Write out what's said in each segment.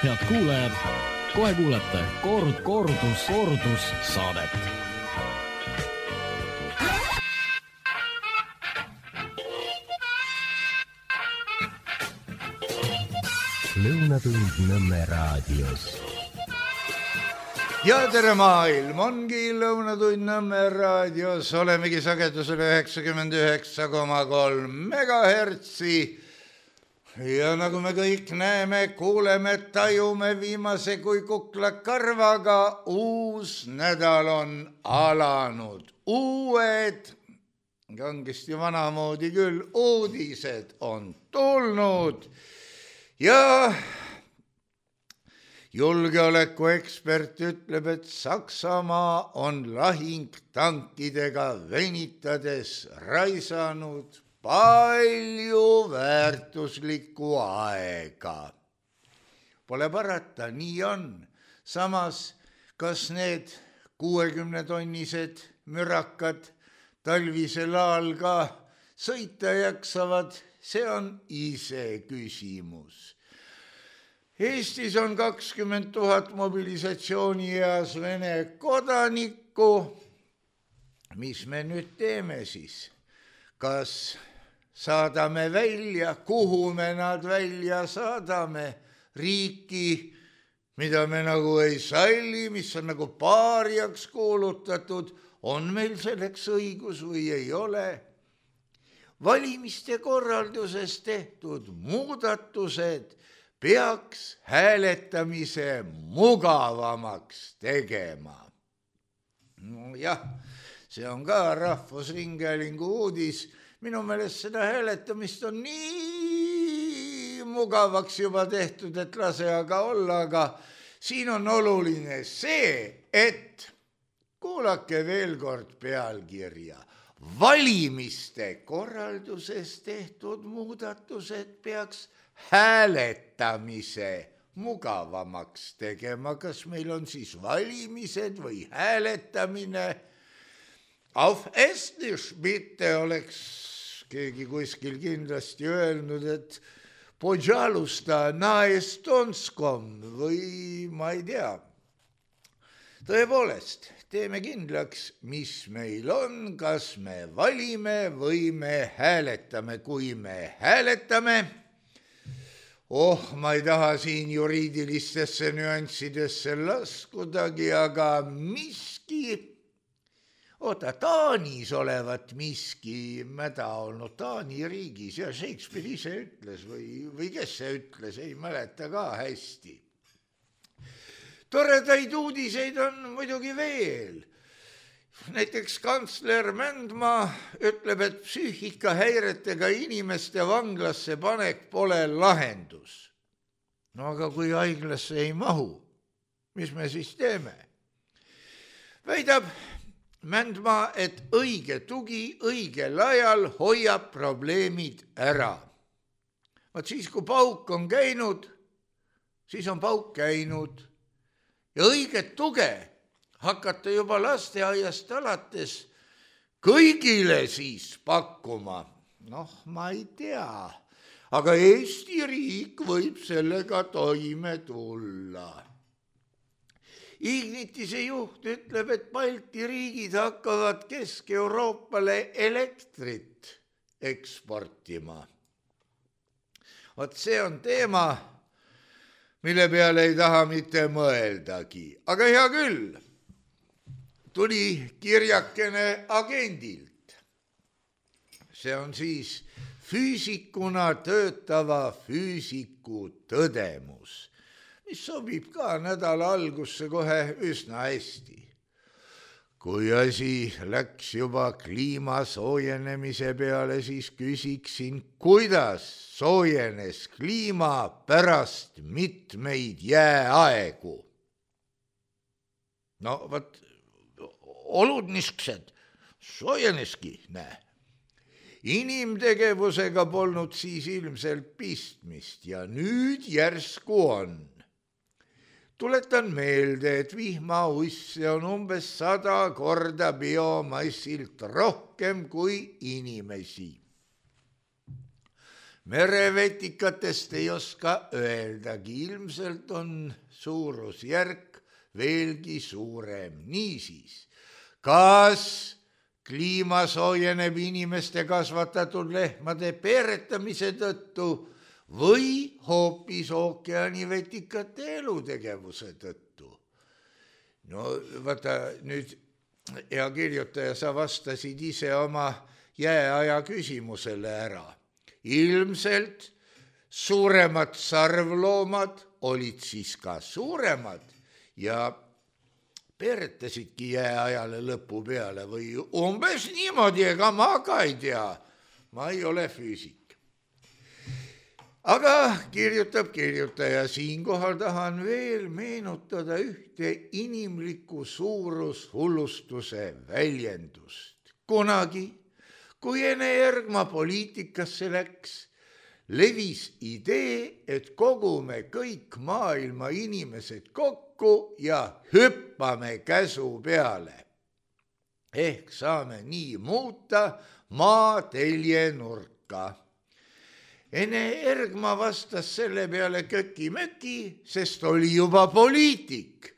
Head kuulajad, kohe kuulete kordus saadet. Lõunatund Nõmme raadios. Ja tere maailm, ongi Lõunatund Nõmme raadios, olemegi sagedusel 99,3 megahertsi. Ja nagu me kõik näeme, kuuleme, tajume viimase kui kukla karvaga, uus nädal on alanud. Uued, kangesti vanamoodi küll, uudised on tulnud ja julgeolekuekspert ütleb, et Saksamaa on lahingtankidega venitades raisanud palju väärtuslikku aega. Pole parata, nii on. Samas, kas need 60-tonnised mürakad talvisel ajal ka sõita jaksavad, see on ise küsimus. Eestis on 20 000 mobilisatsioonieas Vene kodanikku. Mis me nüüd teeme siis? Kas saadame välja, kuhu me nad välja saadame? Riiki, mida me nagu ei salli, mis on nagu paariaks kuulutatud, on meil selleks õigus või ei ole? Valimiste korralduses tehtud muudatused peaks hääletamise mugavamaks tegema. Jah, see on ka Rahvusringhäälingu uudis. Minu meelest seda hääletamist on nii mugavaks juba tehtud, et lase aga olla, aga siin on oluline see, et kuulake veel kord pealkirja. Valimiste korralduses tehtud muudatused peaks hääletamise mugavamaks tegema. Kas meil on siis valimised või hääletamine? Auf Estisch mitte oleks keegi kuskil kindlasti öelnud, et Pojalusta na estonskom või ma ei tea. Tõepoolest, teeme kindlaks, mis meil on, kas me valime või me hääletame. Kui me hääletame, ma ei taha siin juriidilistesse nüanssidesse laskudagi, aga miski, Taanis olevat miski mäda olnud Taani riigis ja Shakespeare ise ütles või kes see ütles, ei mäleta ka hästi. Toredaid uudiseid on muidugi veel. Näiteks kantsler Mändmaa ütleb, et psüühikahäiretega inimeste vanglasse panek pole lahendus. No aga kui haiglasse ei mahu, mis me siis teeme? Väidab Mändmaa, et õige tugi õigel ajal hoiab probleemid ära. Vaat siis, kui pauk on käinud, siis on pauk käinud. Ja õiget tuge hakata juba lasteaiast alates kõigile siis pakkuma. Ma ei tea, aga Eesti riik võib sellega toime tulla. Ignitise juht ütleb, et Balti riigid hakkavad Kesk-Euroopale elektrit eksportima. Vot see on teema, mille peale ei taha mitte mõeldagi. Aga hea küll, tuli kirjakene agendilt. See on siis füüsikuna töötava füüsiku tõdemus, mis sobib ka nädala algusse kohe üsna hästi. Kui asi läks juba kliima soojenemise peale, siis küsiksin, kuidas soojenes kliima pärast mitmeid jääaegu? Vot, olud niiskused, soojeneski, näe. Inimtegevusega polnud siis ilmselt pistmist ja nüüd järsku on. Tuletan meelde, et vihmausse on umbes 100 korda biomassilt rohkem kui inimesi. merevetikatest ei oska öeldagi, ilmselt on suurusjärk veelgi suurem. Niisiis, kas kliima soojeneb inimeste kasvatatud lehmade peeretamise tõttu või hoopis ookeanivetikate elutegevuse tõttu? No vaata nüüd, hea kirjutaja, sa vastasid ise oma jääaja küsimusele ära. Ilmselt suuremad sarvloomad olid siis ka suuremad ja peeretasidki jääajale lõpu peale või umbes niimoodi, ega ma ka ei tea, ma ei ole füüsik. Aga kirjutab kirjutaja, siinkohal tahan veel meenutada ühte inimliku suurushullustuse väljendust. Kunagi, kui Ene Ergma poliitikasse läks, levis idee, et kogume kõik maailma inimesed kokku ja hüppame käsu peale. Ehk saame nii muuta maa teljenurka. Ene Ergma vastas selle peale köki-möki, sest oli juba poliitik.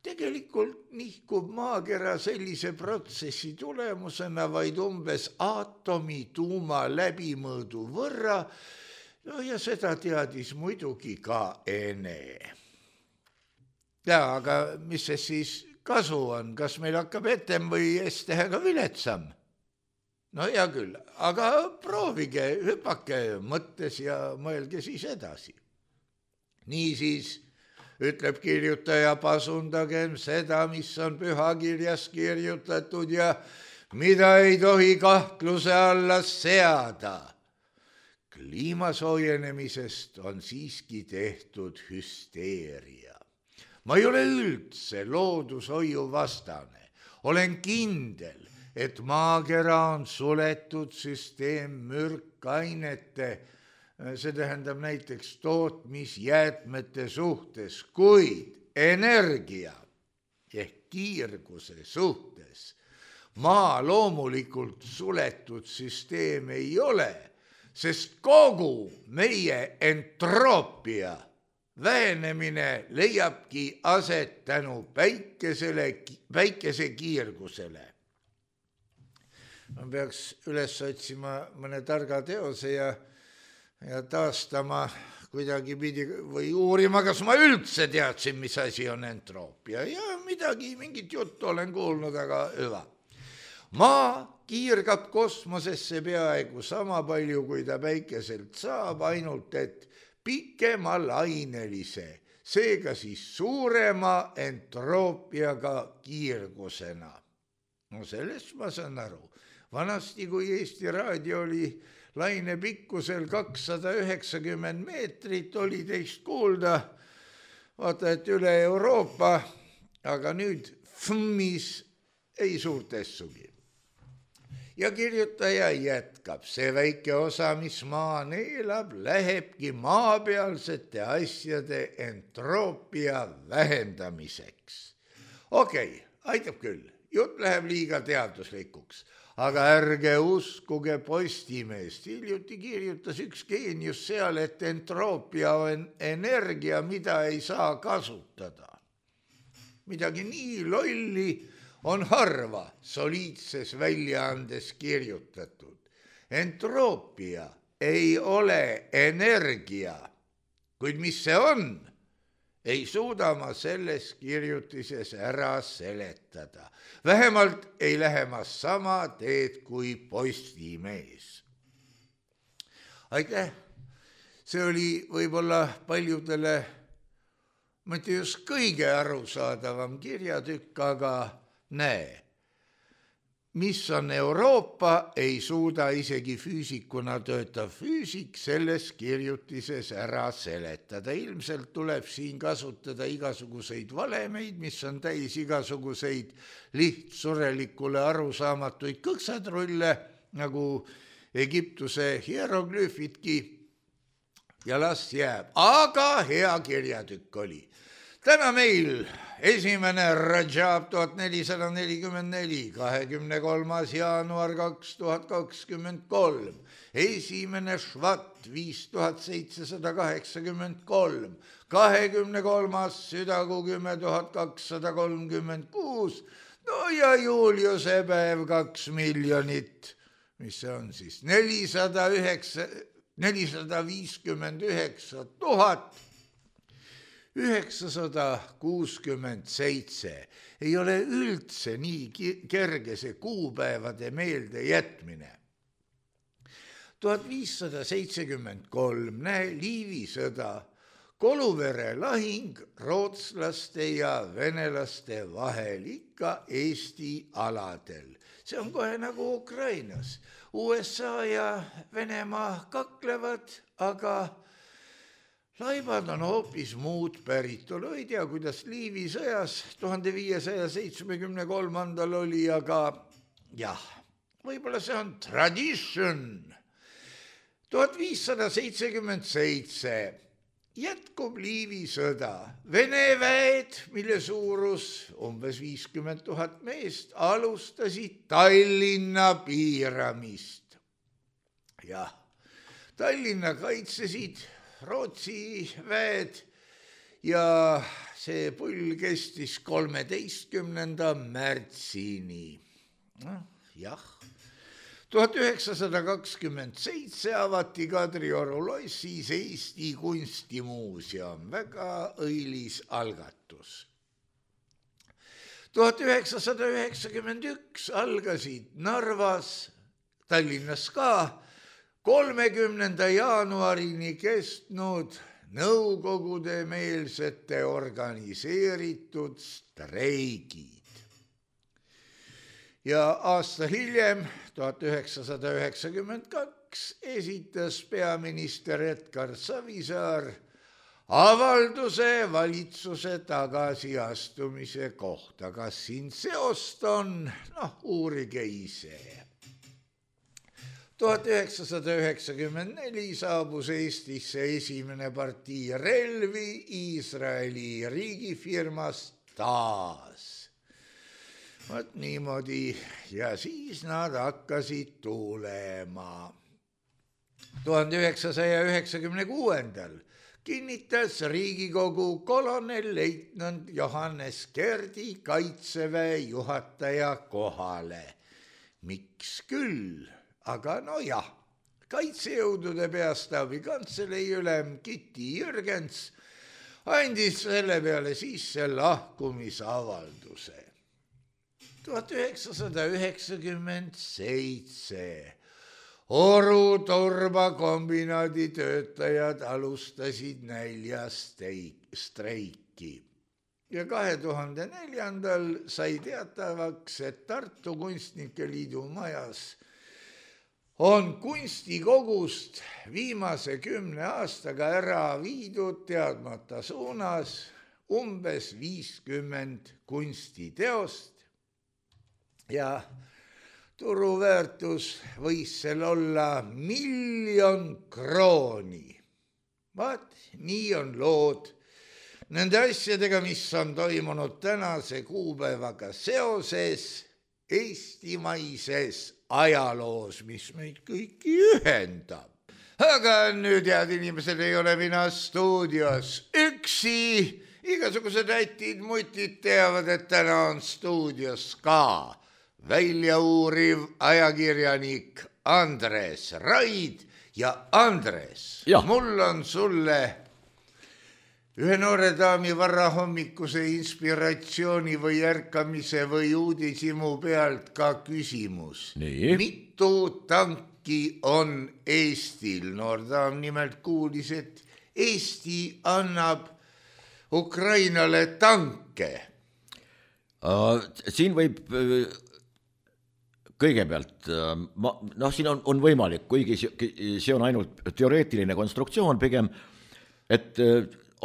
Tegelikult nihkub maakera sellise protsessi tulemusena vaid umbes aatomituuma läbimõõdu võrra, no ja seda teadis muidugi ka Ene. Ja, aga mis see siis kasu on, kas meil hakkab etem või S-tähega viletsam? No hea küll, aga proovige, hüpake mõttes ja mõelge siis edasi. Niisiis, ütleb kirjutaja, pasundagem seda, mis on pühakirjas kirjutatud ja mida ei tohi kahtluse alla seada. Kliima soojenemisest on siiski tehtud hüsteeria. Ma ei ole üldse loodushoiu vastane. Olen kindel, et maakera on suletud süsteem mürkainete, see tähendab näiteks tootmisjäätmete suhtes, kuid energia ehk kiirguse suhtes maa loomulikult suletud süsteem ei ole, sest kogu meie entroopia vähenemine leiabki aset tänu päikese kiirgusele. Ma peaks üles otsima mõne targa teose ja taastama kuidagi pidi või uurima, kas ma üldse teadsin, mis asi on entroopia. Ja midagi, mingit juttu olen kuulnud, aga hüva. Maa kiirgab kosmosesse peaaegu sama palju, kui ta päikeselt saab, ainult et pikema lainelise, seega siis suurema entroppiaga kiirgusena. No sellest ma saan aru. Vanasti, kui Eesti Raadio oli laine pikkusel 290 meetrit, oli teist kuulda, vaata, et üle Euroopa, aga nüüd FMis ei suurtessugi. Ja kirjutaja jätkab, see väike osa, mis maa neelab, lähebki maapealsete asjade entroopia vähendamiseks. Okei, aitab küll, jutt läheb liiga teaduslikuks. Aga ärge uskuge Postimeest, hiljuti kirjutas üks geenius seal, et entroopia on energia, mida ei saa kasutada. Midagi nii lolli on harva soliidses väljaandes kirjutatud. Entroopia ei ole energia, kuid mis see on? Ei suuda ma selles kirjutises ära seletada. Vähemalt ei lähe ma sama teed kui Postimees. Aitäh! See oli võib-olla paljudele, mitte just kõige arusaadavam kirjatükk, aga näe, mis on Euroopa, ei suuda isegi füüsikuna töötav füüsik selles kirjutises ära seletada. Ilmselt tuleb siin kasutada igasuguseid valemeid, mis on täis igasuguseid lihtsurelikule arusaamatuid kõksadrulle, nagu Egiptuse hieroglüüfidki, ja las jääb. Aga hea kirjatükk oli. täna meil 1. Rajab 1444, 23. jaanuar 2023, 1. Švat 5783, 23. südakuu 10,236, no ja Juliuse päev 2 miljonit, mis see on siis, 459 967. Ei ole üldse nii kerge see kuupäevade meelde jätmine. 1573, näe, Liivi sõda, Koluvere lahing rootslaste ja venelaste vahel ikka Eesti aladel. See on kohe nagu Ukrainas. USA ja Venemaa kaklevad, aga laibad on hoopis muud päritolu. Ei tea, kuidas Liivi sõjas 1573 oli, aga jah, võib-olla see on tradition. 1577 jätkub Liivi sõda. Vene väed, mille suurus umbes 50 000 meest, alustasid Tallinna piiramist. Jah, Tallinna kaitsesid Rootsi väed ja see pull kestis 13. märtsini. Jah. 1927 avati Kadrioru lossis Eesti kunstimuuseum, väga õilis algatus. 1991 algasid Narvas, Tallinnas ka, 30. jaanuarini kestnud nõukogude meelsete organiseeritud streigid. Ja aasta hiljem, 1992, esitas peaminister Edgar Savisaar avalduse valitsuse tagasiastumise kohta. Kas siin seost on? Uurige ise. 1994 saabus Eestisse esimene partii relvi Iisraeli riigifirmast TAAS. Vaat niimoodi ja siis nad hakkasid tulema. 1996 kinnitas Riigikogu kolonelleitnant Johannes Kerdi kaitseväe juhataja kohale. Miks küll? Aga nojah, kaitsejõudude peastaabi kantselei ülem Kitty Jürgens andis selle peale sisse lahkumisavalduse. 1997 Oru turbakombinaadi töötajad alustasid näljastreiki ja 2004 sai teatavaks, et Tartu Kunstnike Liidu majas on kunstikogust viimase 10 aastaga ära viidud teadmata suunas umbes 50 kunstiteost ja turuväärtus võis seal olla 1 000 000 krooni. Vaat, nii on lood nende asjadega, mis on toimunud tänase kuupäevaga seoses eestimaises ajaloos, mis meid kõiki ühendab. Aga nüüd, head inimesed, ei ole mina stuudios üksi. Igasugused ätid, mutid teavad, et täna on stuudios ka väljauuriv ajakirjanik Andres Raid ja Andres, mul on sulle ühe noore daami varahommikuse inspiratsiooni või ärkamise või uudishimu pealt ka küsimus. Nii. Mitu tanki on Eestil? Noor daam nimelt kuulis, et Eesti annab Ukrainale tanke. Siin võib kõigepealt, siin on võimalik, kuigi see on ainult teoreetiline konstruktsioon pigem, et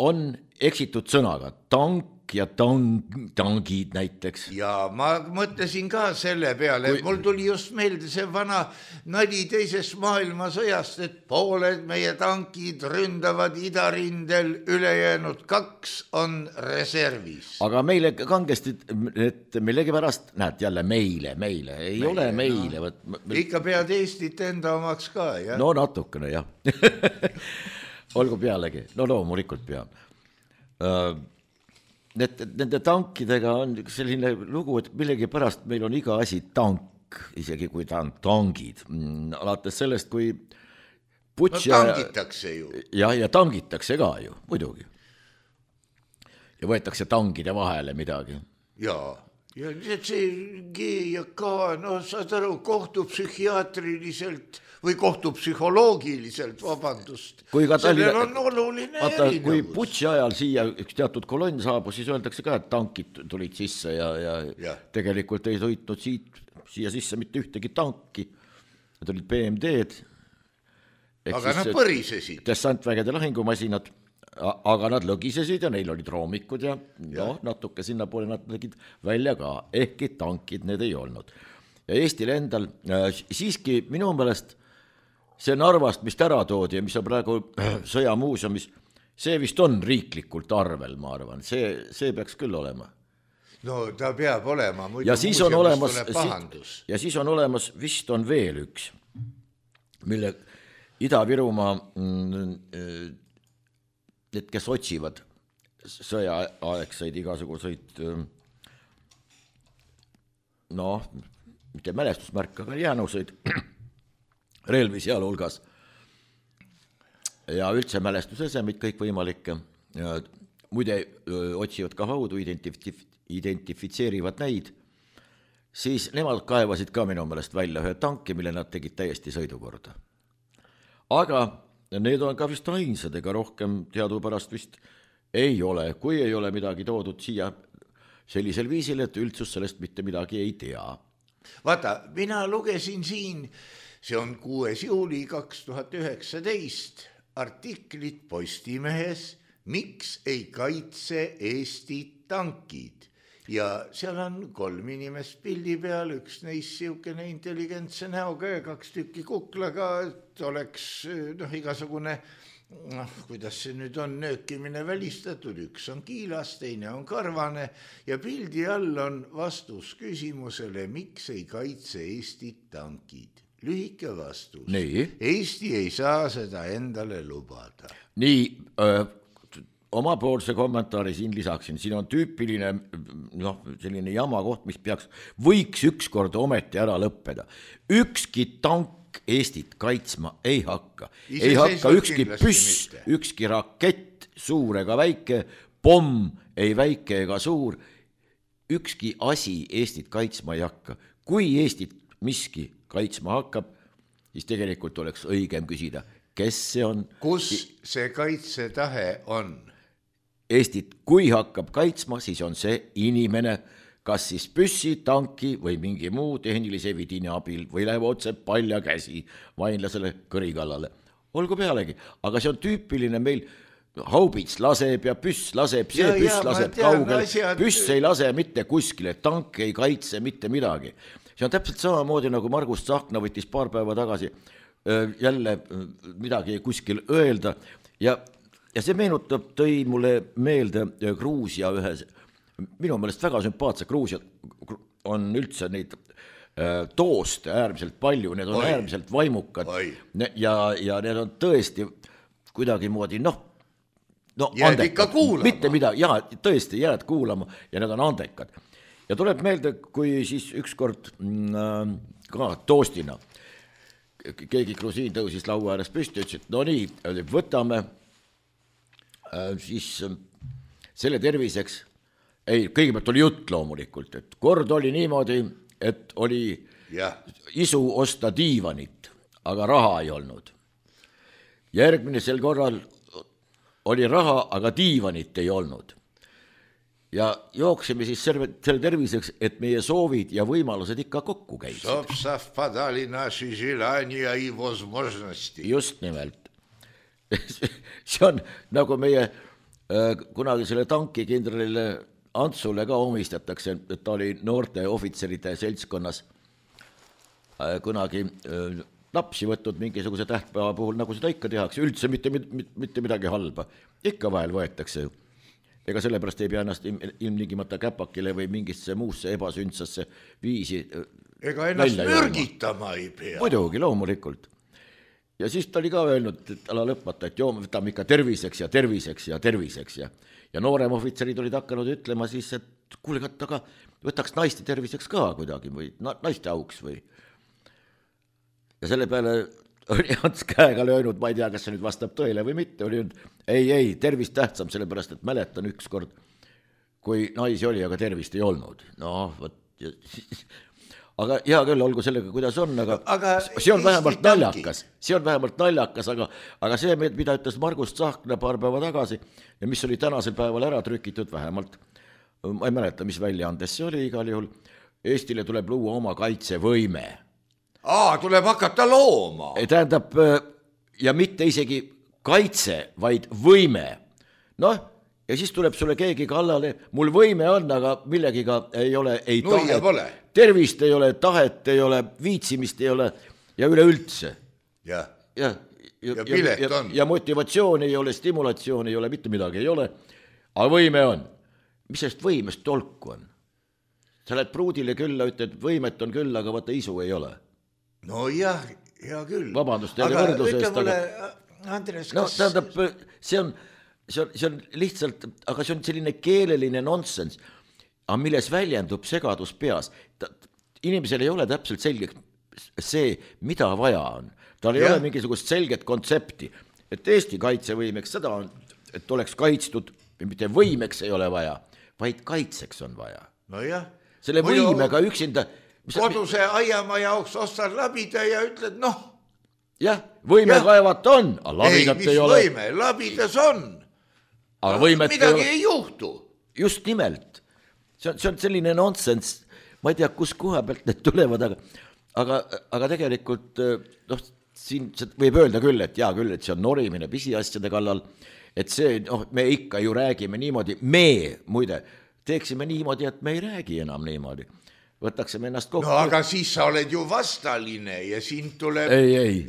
on eksitud sõnaga, tank ja tangid näiteks. Ja ma mõtlesin ka selle peale, mul tuli just meelde see vana nali teisest maailmasõjast, et pooled meie tankid ründavad idarindel, ülejäänud 2 on reservis. Aga meile kangesti, et millegipärast, näed jälle meile, ei ole meile. No. Ikka pead Eestit enda omaks ka, jah? No natukene, jah. Olgu pealegi, no loomulikult peab. Nende tankidega on selline lugu, et millegi pärast meil on iga asi tank, isegi kui ta on tangid. Alates sellest, kui Putša... No tangitakse ju. Ja tangitakse ka ju, muidugi. Ja võetakse tangide vahele midagi. Jaa. Ja see G ja K, no saad aru, kohtupsühhiaatriliselt või kohtupsühholoogiliselt, vabandust. Sellel on oluline erinevus. Kui Putši ajal siia üks teatud kolonn saabus, siis öeldakse ka, et tankid tulid sisse ja tegelikult ei sõitnud siia sisse mitte ühtegi tanki. Need olid BMD-d. Aga nad põrisesid. Dessantvägede lahingumasinad. Aga nad lõgisesid ja neil olid roomikud ja natuke sinna poole nad tegid välja ka, ehkki tankid need ei olnud. Ja Eestil endal siiski minu meelest see Narvast, mis ära toodi ja mis on praegu sõjamuuseumis, see vist on riiklikult arvel, ma arvan. See peaks küll olema. No ta peab olema, muidu ja siis on olemas, ja siis on olemas, vist on veel üks, mille Ida-Virumaa need, kes otsivad sõjaaegseid igasuguseid mitte mälestusmärk, aga jäänuseid relvi sealhulgas ja üldse mälestusesemid kõik võimalikke. Muide otsivad ka haudu, identifitseerivad neid, siis nemad kaevasid ka minu meelest välja ühe tanki, mille nad tegid täiesti sõidukorda. Aga need on ka vist ainsad, ega rohkem teadupärast vist ei ole, kui ei ole midagi toodud siia sellisel viisil, et üldsus sellest mitte midagi ei tea. Vaata, mina lugesin siin, see on 6. juuli 2019, artiklit Postimehes, miks ei kaitse Eesti tankid. Ja seal on 3 inimest pildi peal, üks neist siukene intelligentse näoga ja 2 tükki kuklaga, et oleks igasugune, kuidas see nüüd on, nöökimine välistatud, üks on kiilas, teine on karvane ja pildi all on vastus küsimusele, miks ei kaitse Eesti tankid. Lühike vastus. Nii. Eesti ei saa seda endale lubada. Nii, omapoolse kommentaari siin lisaksin, siin on tüüpiline selline jama koht, mis võiks ükskord ometi ära lõppeda. Ükski tank Eestit kaitsma ei hakka. Ei hakka ükski püss, ükski rakett, suur ega väike, pomm, ei väike ega suur. Ükski asi Eestit kaitsma ei hakka. Kui Eestit miski kaitsma hakkab, siis tegelikult oleks õigem küsida, kes see on. Kus see kaitsetahe on? Eestit, kui hakkab kaitsma, siis on see inimene, kas siis püssi, tanki või mingi muu tehnilise vidini abil või läheb otse palja käsi vainlasele kõrikallale. Olgu pealegi, aga see on tüüpiline meil, haubits laseb ja püss laseb, see püss laseb kaugel, püss ei lase mitte kuskile, tank ei kaitse mitte midagi. See on täpselt samamoodi nagu Margus Tsahkna võttis paar päeva tagasi jälle midagi kuskil öelda ja see meenutab, tõi mulle meelde Gruusia ühes, minu meelest väga sümpaatse, Gruusia on üldse neid tooste äärmiselt palju, need on äärmiselt vaimukad ja need on tõesti kuidagi moodi, jääd ikka kuulama. Mitte midagi, tõesti jääd kuulama ja need on andekad. Ja tuleb meelde, kui siis ükskord ka toostina keegi grusiin tõusis laua ääres püsti, ütles, et no nii, võtame siis selle terviseks, kõigepealt oli jutt loomulikult, et kord oli niimoodi, et oli isu osta diivanit, aga raha ei olnud. Järgmisel korral oli raha, aga diivanit ei olnud. Ja jooksime siis selle terviseks, et meie soovid ja võimalused ikka kokku käisid. Just nimelt. See on nagu meie kunagi selle tankikindralile Antsule ka omistatakse, et ta oli noorte ohvitseride seltskonnas kunagi lapsi võtnud mingisuguse tähtpäeva puhul, nagu seda ikka tehakse, üldse mitte midagi halba. Ikka vahel võetakse ju. Ega sellepärast ei pea ennast ilmtingimata käpakile või mingisse muusse ebasündsasse viisi ega ennast mürgitama ei pea. Muidugi, loomulikult. Ja siis ta oli ka öelnud, et ala lõpmata, et joo, võtame ikka terviseks ja terviseks ja terviseks ja noorem ohvitserid olid hakanud ütlema siis, et kuule, aga võtaks naiste terviseks ka kuidagi või naiste auks või. Ja selle peale oli Ants käega löönud, ma ei tea, kas see nüüd vastab tõele või mitte, oli nüüd, ei, tervist tähtsam, sellepärast, et mäletan ükskord, kui naisi oli, aga tervist ei olnud. No, võt, aga hea küll, olgu sellega, kuidas on, aga see on vähemalt naljakas, aga see, mida ütles Margus Tsahkna paar päeva tagasi ja mis oli tänasel päeval ära trükitud vähemalt, ma ei mäleta, mis väljaandes see oli igal juhul, Eestile tuleb luua oma kaitsevõime. Tuleb hakata looma. Tähendab, ja mitte isegi kaitse, vaid võime. Noh, ja siis tuleb sulle keegi kallale, mul võime on, aga millegiga ei ole, ei tahet, tervist ei ole, tahet ei ole, viitsimist ei ole ja üleüldse. Ja pilet on. Ja motivatsioon ei ole, stimulatsioon ei ole, mitte midagi ei ole, aga võime on. Mis sellest võimest tolku on? Sa lähed pruudile külla, ütled, võimet on küll, aga vaata isu ei ole. No jah, hea küll. Vabandust, aga ütle mulle, Andres, kas... No, tähendab, see on lihtsalt, aga see on selline keeleline nonsense, aga milles väljendub segadus peas. Inimesel ei ole täpselt selge see, mida vaja on. Tal ei ole mingisugust selget kontsepti, et Eesti kaitsevõimeks seda on, et oleks kaitstud, mitte võimeks ei ole vaja, vaid kaitseks on vaja. No jah. Selle võimega üksinda... Koduse aiamaa jaoks ostad labida ja ütled, noh. Jah, võime kaevata on, aga labidat ei ole. Ei, mis võime, labidas on. Aga võimet midagi ei juhtu. Just nimelt. See on selline nonsense, ma ei tea, kus koha pealt need tulevad, aga tegelikult, noh, siin võib öelda küll, et see on norimine pisiasjade kallal, et see, noh, me ikka ju räägime niimoodi, muide, teeksime niimoodi, et me ei räägi enam niimoodi. Võtaksime ennast kokku. No aga siis sa oled ju vastaline ja sind tuleb... Ei.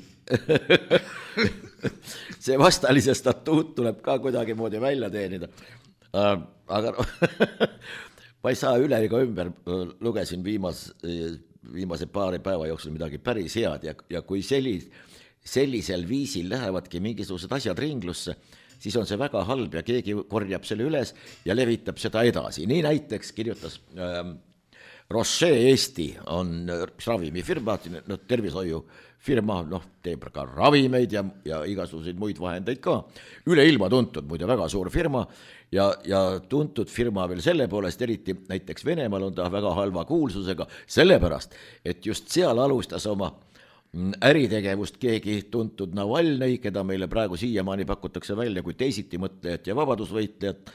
See vastalise statuut tuleb ka kuidagi moodi välja teenida. Aga ma ei saa üle ega ümber, lugesin viimase paari päeva jooksul midagi päris head ja kui sellisel viisil lähevadki mingisugused asjad ringlusse, siis on see väga halb ja keegi korjab selle üles ja levitab seda edasi. Nii näiteks kirjutas... Roche Eesti on ravimifirma, tervishoiufirma, teeb ka ravimeid ja igasuguseid muid vahendeid ka. Üle ilma tuntud, muide väga suur firma ja tuntud firma veel selle poolest, eriti näiteks Venemaal on ta väga halva kuulsusega, sellepärast, et just seal alustas oma äritegevust keegi tuntud Navalnõi, keda meile praegu siiamaani pakutakse välja kui teisiti mõtlejat ja vabadusvõitlejat,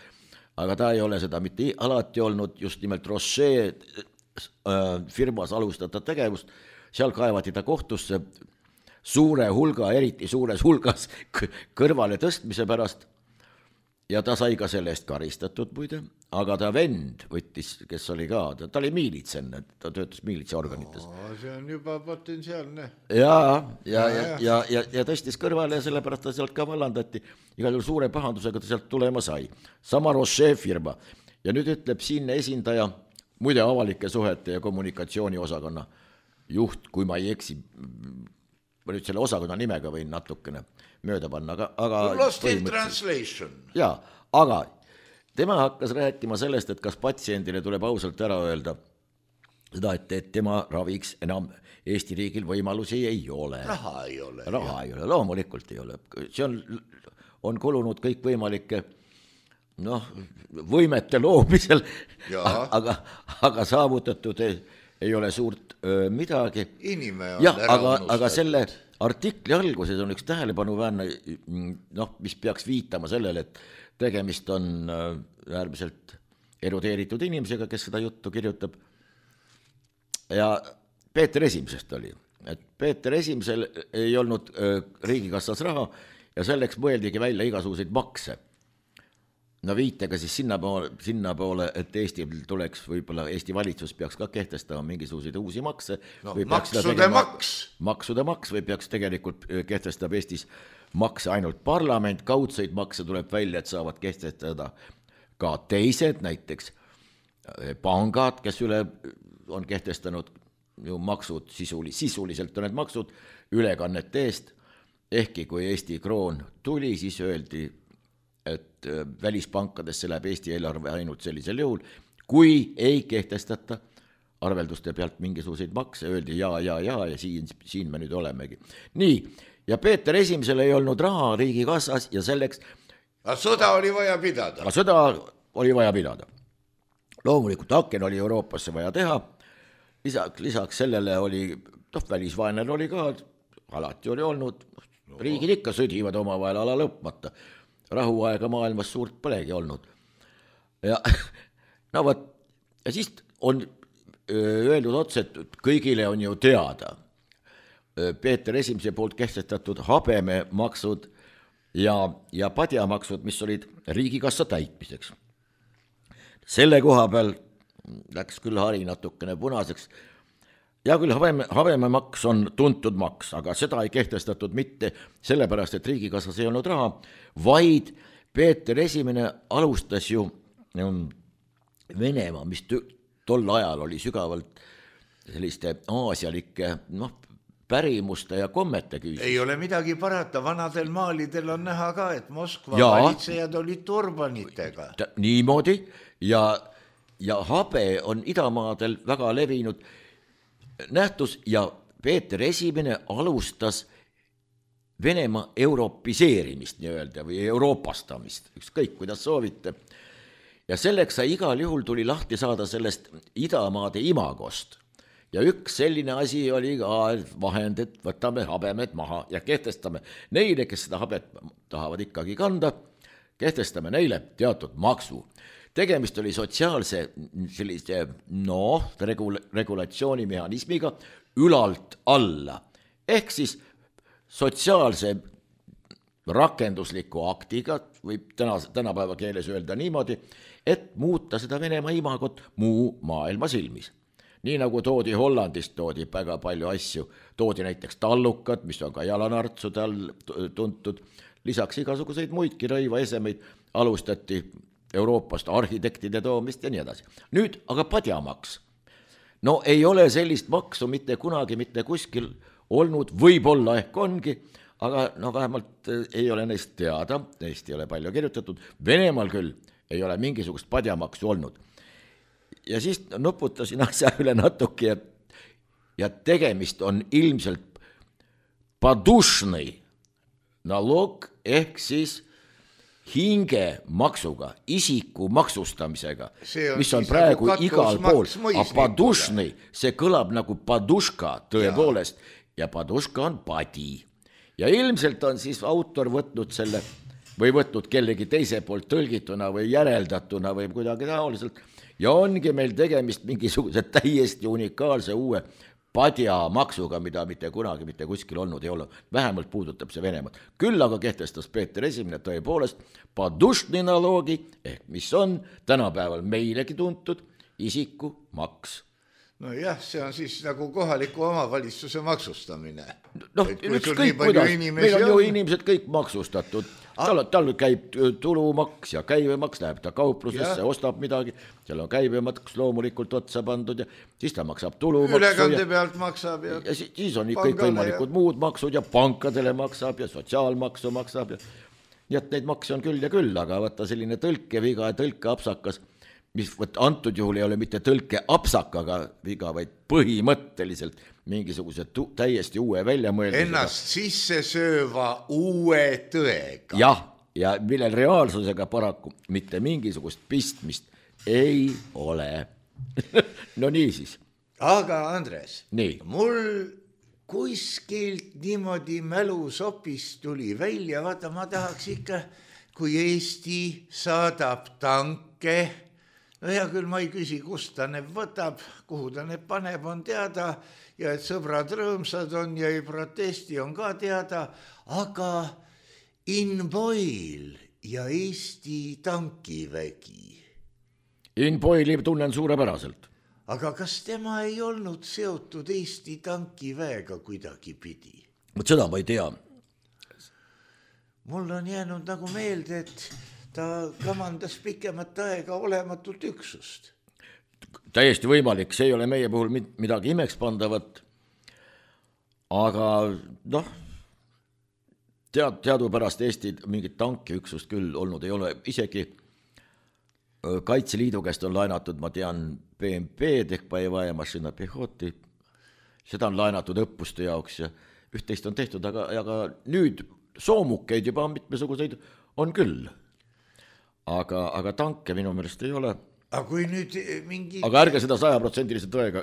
aga ta ei ole seda mitte alati olnud, just nimelt Roche firmas alustada tegevust, seal kaevati ta kohtusse suure hulga, eriti suures hulgas kõrvale tõstmise pärast ja ta sai ka selle eest karistatud muide, aga ta vend võttis, kes oli ka, ta oli miilitsen, ta töötas miilitsaorganites. See on juba potentsiaalne. Ja tõstis kõrvale ja sellepärast ta sealt ka vallandati, igal juhul suure pahandusega ta sealt tulema sai. Sama Roche firma ja nüüd ütleb siinne esindaja, muide avalike suhete ja kommunikatsiooni osakonna juht, kui ma ei eksi, ma nüüd selle osakonna nimega võin natukene mööda panna, aga Lost in translation. Jaa, aga tema hakkas rääkima sellest, et kas patsiendile tuleb ausalt ära öelda seda, et tema raviks enam Eesti riigil võimalusi ei ole. Raha ei ole, loomulikult ei ole. See on kulunud kõik võimalike võimete loomisel, aga saavutatud ei ole suurt midagi. Aga selle artikli alguses on üks tähelepanuväärne, mis peaks viitama sellele, et tegemist on äärmiselt erudeeritud inimesega, kes seda juttu kirjutab. Ja Peeter Esimesest oli, et Peeter Esimesel ei olnud riigikassas raha ja selleks mõeldigi välja igasuguseid makse. no viitega siis sinna poole, et Eesti tuleks, võib-olla Eesti valitsus peaks ka kehtestama mingisuguseid uusi makse. No, maksude maks või peaks tegelikult kehtestab Eestis makse ainult parlament, kaudseid makse tuleb välja, et saavad kehtestada ka teised, näiteks pangad, kes on kehtestanud ju maksud, sisuliselt on need maksud ülekannete eest, ehkki kui Eesti kroon tuli, siis öeldi, et välispankadesse läheb Eesti eelarve ainult sellisel juhul, kui ei kehtestata arvelduste pealt mingisuguseid makse, öeldi ja siin me nüüd olemegi. Nii, ja Peeter Esimesel ei olnud raha riigikassas ja selleks... Sõda oli vaja pidada. Loomulikult aken oli Euroopasse vaja teha, lisaks sellele oli, välisvaenel oli ka, alati oli olnud, riigid ikka sõdivad omavahel ala lõpmata. Rahuaega maailmas suurt polegi olnud. Ja siis on öeldud otse, et kõigile on ju teada Peeter Esimese poolt kehtestatud habememaksud ja padjamaksud, mis olid riigikassa täitmiseks. Selle koha peal läks küll hari natukene punaseks. Ja küll habememaks on tuntud maks, aga seda ei kehtestatud mitte sellepärast, et riigikassas ei olnud raha, vaid Peeter Esimene alustas ju Venemaa, mis tol ajal oli sügavalt selliste aasialike pärimuste ja kommete küüsis. Ei ole midagi parata, vanadel maalidel on näha ka, et Moskva valitsejad olid turbanitega. Niimoodi ja habe on idamaadel väga levinud nähtus ja Peeter Esimene alustas Venemaa europiseerimist nii-öelda või euroopastamist, ükskõik kuidas soovite. Ja selleks sai igal juhul tuli lahti saada sellest idamaade imagost. Ja üks selline asi oli ka vahend, et võtame habemed maha ja kehtestame neile, kes seda habet tahavad ikkagi kanda, kehtestame neile teatud maksu. Tegemist oli sotsiaalse sellise regulatsioonimehhanismiga ülalt alla. Ehk siis sotsiaalse rakendusliku aktiga, võib tänapäeva keeles öelda niimoodi, et muuta seda Venemaa imagot muu maailma silmis. Nii nagu toodi Hollandist, toodi väga palju asju, toodi näiteks tallukad, mis on ka jalanartsude all tuntud, lisaks igasuguseid muidki rõivaesemeid alustati Euroopast arhitektide toomist ja nii edasi. Nüüd aga padjamaks. No ei ole sellist maksu mitte kunagi, mitte kuskil olnud, võib-olla ehk ongi, aga vähemalt ei ole neist teada, neist ei ole palju kirjutatud, Venemaal küll ei ole mingisugust padjamaksu olnud. Ja siis nuputasin asja üle natuke ja tegemist on ilmselt padušnõi nalog ehk siis hingemaksuga, isiku maksustamisega, mis on praegu nagu igal pool. A padušnõi, see kõlab nagu paduška tõepoolest ja paduška on padi. Ja ilmselt on siis autor võtnud selle või võtnud kellegi teise poolt tõlgituna või järeldatuna või kuidagi taoliselt. Ja ongi meil tegemist mingisuguse täiesti unikaalse uue padjamaksuga, mida mitte kunagi mitte kuskil olnud ei ole. Vähemalt puudutab see Venemaad. Küll aga kehtestas Peeter Esimene tõepoolest padušnõi naloogi, ehk mis on tänapäeval meilegi tuntud isiku maks. No jah, see on siis nagu kohaliku omavalitsuse maksustamine. Ükskõik kuidas, meil on ju inimesed kõik maksustatud. Tal käib tulumaks ja käibemaks, läheb ta kauplusesse, ostab midagi, seal on käibemaks loomulikult otsa pandud ja siis ta maksab tulumaksu. Ülekande pealt maksab ja siis on kõik võimalikud muud maksud ja pankadele maksab ja sotsiaalmaksu maksab. Ja neid makse on küll ja küll, aga võtta selline tõlkeviga ja tõlkeapsakas, mis antud juhul ei ole mitte tõlkeapsakaga viga, vaid põhimõtteliselt mingisuguse täiesti uue väljamõeldusega. Ennast sisse sööva uue tõega. Jah, ja millel reaalsusega paraku mitte mingisugust pistmist ei ole. No nii siis. Aga Andres, nii. Mul kuskilt niimoodi mälusopist tuli välja, vaata ma tahaks ikka, kui Eesti saadab tanke, no hea küll, ma ei küsi, kust ta need võtab, kuhu ta need paneb, on teada, ja et sõbrad rõõmsad on ja ei protesti, on ka teada, aga in Boil ja Eesti tankivägi. Inboili tunnen suurepäraselt. Aga kas tema ei olnud seotud Eesti tankiväega kuidagi pidi? Seda ma ei tea. Mul on jäänud nagu meelde, et ta kamandas pikemat aega olematut üksust. Täiesti võimalik, see ei ole meie puhul midagi imekspandavat, aga teadupärast Eesti mingit tankiüksust küll olnud ei ole, isegi Kaitseliidu käest on laenatud, ma tean, BMP-d ehk Boevaya Mašina Pehhoti, seda on laenatud õppuste jaoks ja üht-teist on tehtud, aga nüüd soomukeid juba mitmesuguseid on küll. Aga tanke minu meelest ei ole. Aga kui nüüd mingi... Aga ärge seda 100% tõega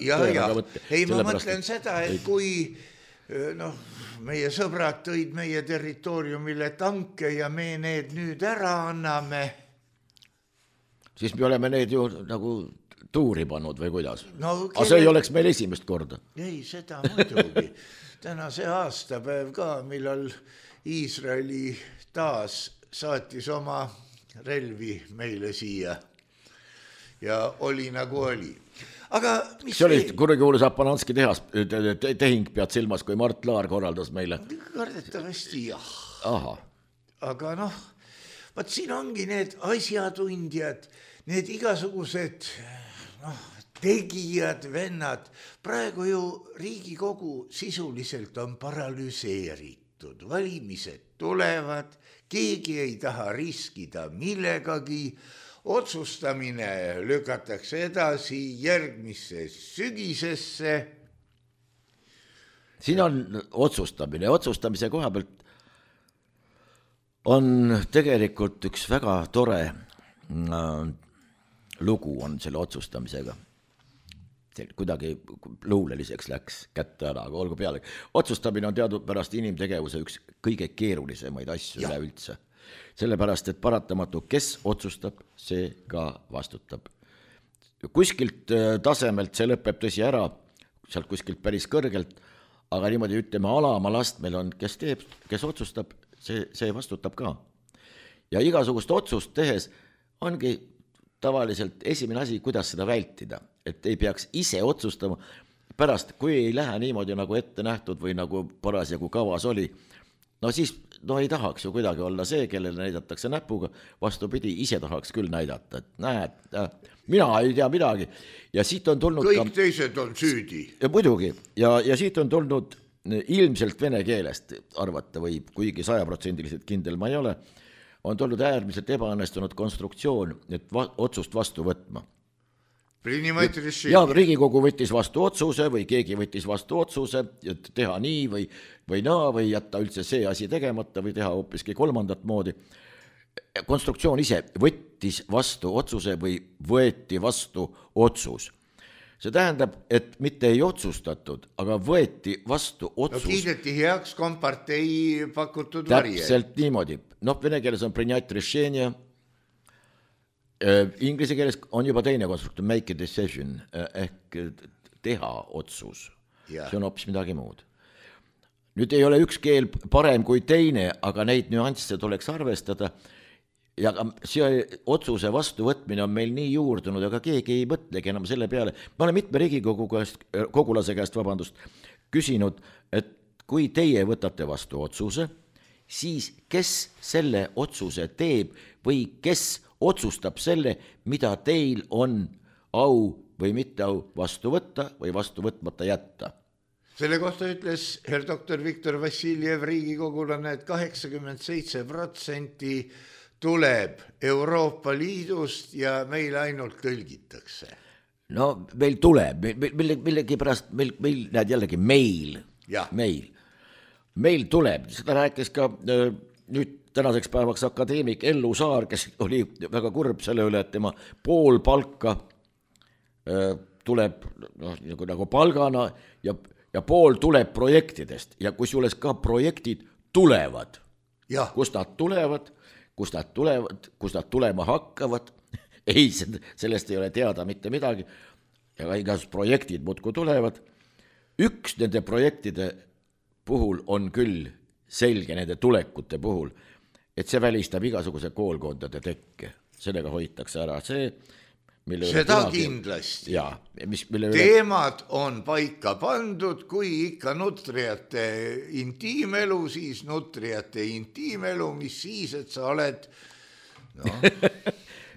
võtte. Ei, ma mõtlen seda, et kui meie sõbrad tõid meie territooriumile tanke ja me need nüüd ära anname, siis me oleme need ju nagu tuuri pannud või kuidas. Aga see ei oleks meil esimest korda. Ei, seda muidugi. Täna see aastapäev ka, millal Iisraeli taas saatis oma relvi meile siia ja oli nagu oli. Aga mis see oli kurikuulus Apananski tehing pead silmas, kui Mart Laar korraldas meile? Kardetavasti jah. Aha. Aga vaat siin ongi need asjatundjad, need igasugused tegijad, vennad. Praegu ju Riigikogu sisuliselt on paralüseeritud. Valimised tulevad, keegi ei taha riskida millegagi. Otsustamine lükatakse edasi järgmisse sügisesse. Siin on otsustamise koha pealt on tegelikult üks väga tore lugu on selle otsustamisega. Kuidagi luuleliseks läks kätte ära, aga olgu peale. Otsustamine on teadupärast inimtegevuse üks kõige keerulisemaid asju üleüldse. Sellepärast, et paratamatu, kes otsustab, see ka vastutab. Kuskilt tasemelt see lõpeb tõsi ära, sealt kuskilt päris kõrgelt, aga niimoodi ütleme alama lastmel on, kes teeb, kes otsustab, see vastutab ka. Ja igasugust otsust tehes ongi tavaliselt esimene asi, kuidas seda vältida, et ei peaks ise otsustama pärast, kui ei lähe niimoodi nagu ette nähtud või nagu parasjagu kavas oli, siis ei tahaks ju kuidagi olla see, kellele näidatakse näpuga, vastupidi, ise tahaks küll näidata, et näed, mina ei tea midagi. Ja siit on tulnud kõik teised on süüdi. Ja muidugi, ja siit on tulnud ilmselt vene keelest arvata võib, kuigi 100% kindel ma ei ole, on tulnud äärmiselt ebaõnnestunud konstruktsioon, et otsust vastu võtma. Ja Riigikogu võttis vastu otsuse või keegi võttis vastu otsuse, et teha nii või naa või jätta üldse see asi tegemata või teha hoopiski kolmandat moodi. Konstruktsioon ise võttis vastu otsuse või võeti vastu otsus. See tähendab, et mitte ei otsustatud, aga võeti vastu otsus. Kiideti heaks kompartei pakutud varje. Täpselt niimoodi. Vene keeles on принять решение. Inglise keeles on juba teine konstruktor, make a decision, ehk teha otsus. See on hoopis midagi muud. Nüüd ei ole üks keel parem kui teine, aga neid nüansse tuleks arvestada. Ja see otsuse vastuvõtmine on meil nii juurdunud, aga keegi ei mõtlegi enam selle peale. Ma olen mitme Riigikogu kogulase käest küsinud, et kui teie võtate vastu otsuse, siis kes selle otsuse teeb või kes otsustab selle, mida teil on au või mitte au vastu võtta või vastu võtmata jätta. Selle kohta ütles herr doktor Viktor Vassiljev Riigikogulane, et 87% tuleb Euroopa Liidust ja meil ainult tõlgitakse. Meil tuleb, millegi pärast, meil näed jällegi meil tuleb, seda rääkis ka nüüd tänaseks päevaks akadeemik Ellu Saar, kes oli väga kurb selle üle, et tema pool palka tuleb nagu palgana ja pool tuleb projektidest ja kusjuures ka projektid tulevad. Kust nad tulevad, kust nad tulema hakkavad, ei, sellest ei ole teada mitte midagi, ja igasugused projektid muudkui tulevad. Üks nende projektide puhul on küll selge, nende tulekute puhul, et see välistab igasuguse koolkondade tekke, sellega hoitakse ära see, seda kindlasti. Ja, teemad on paika pandud, kui ikka nutriate intiimelu, siis nutriate intiimelu, mis siis, et sa oled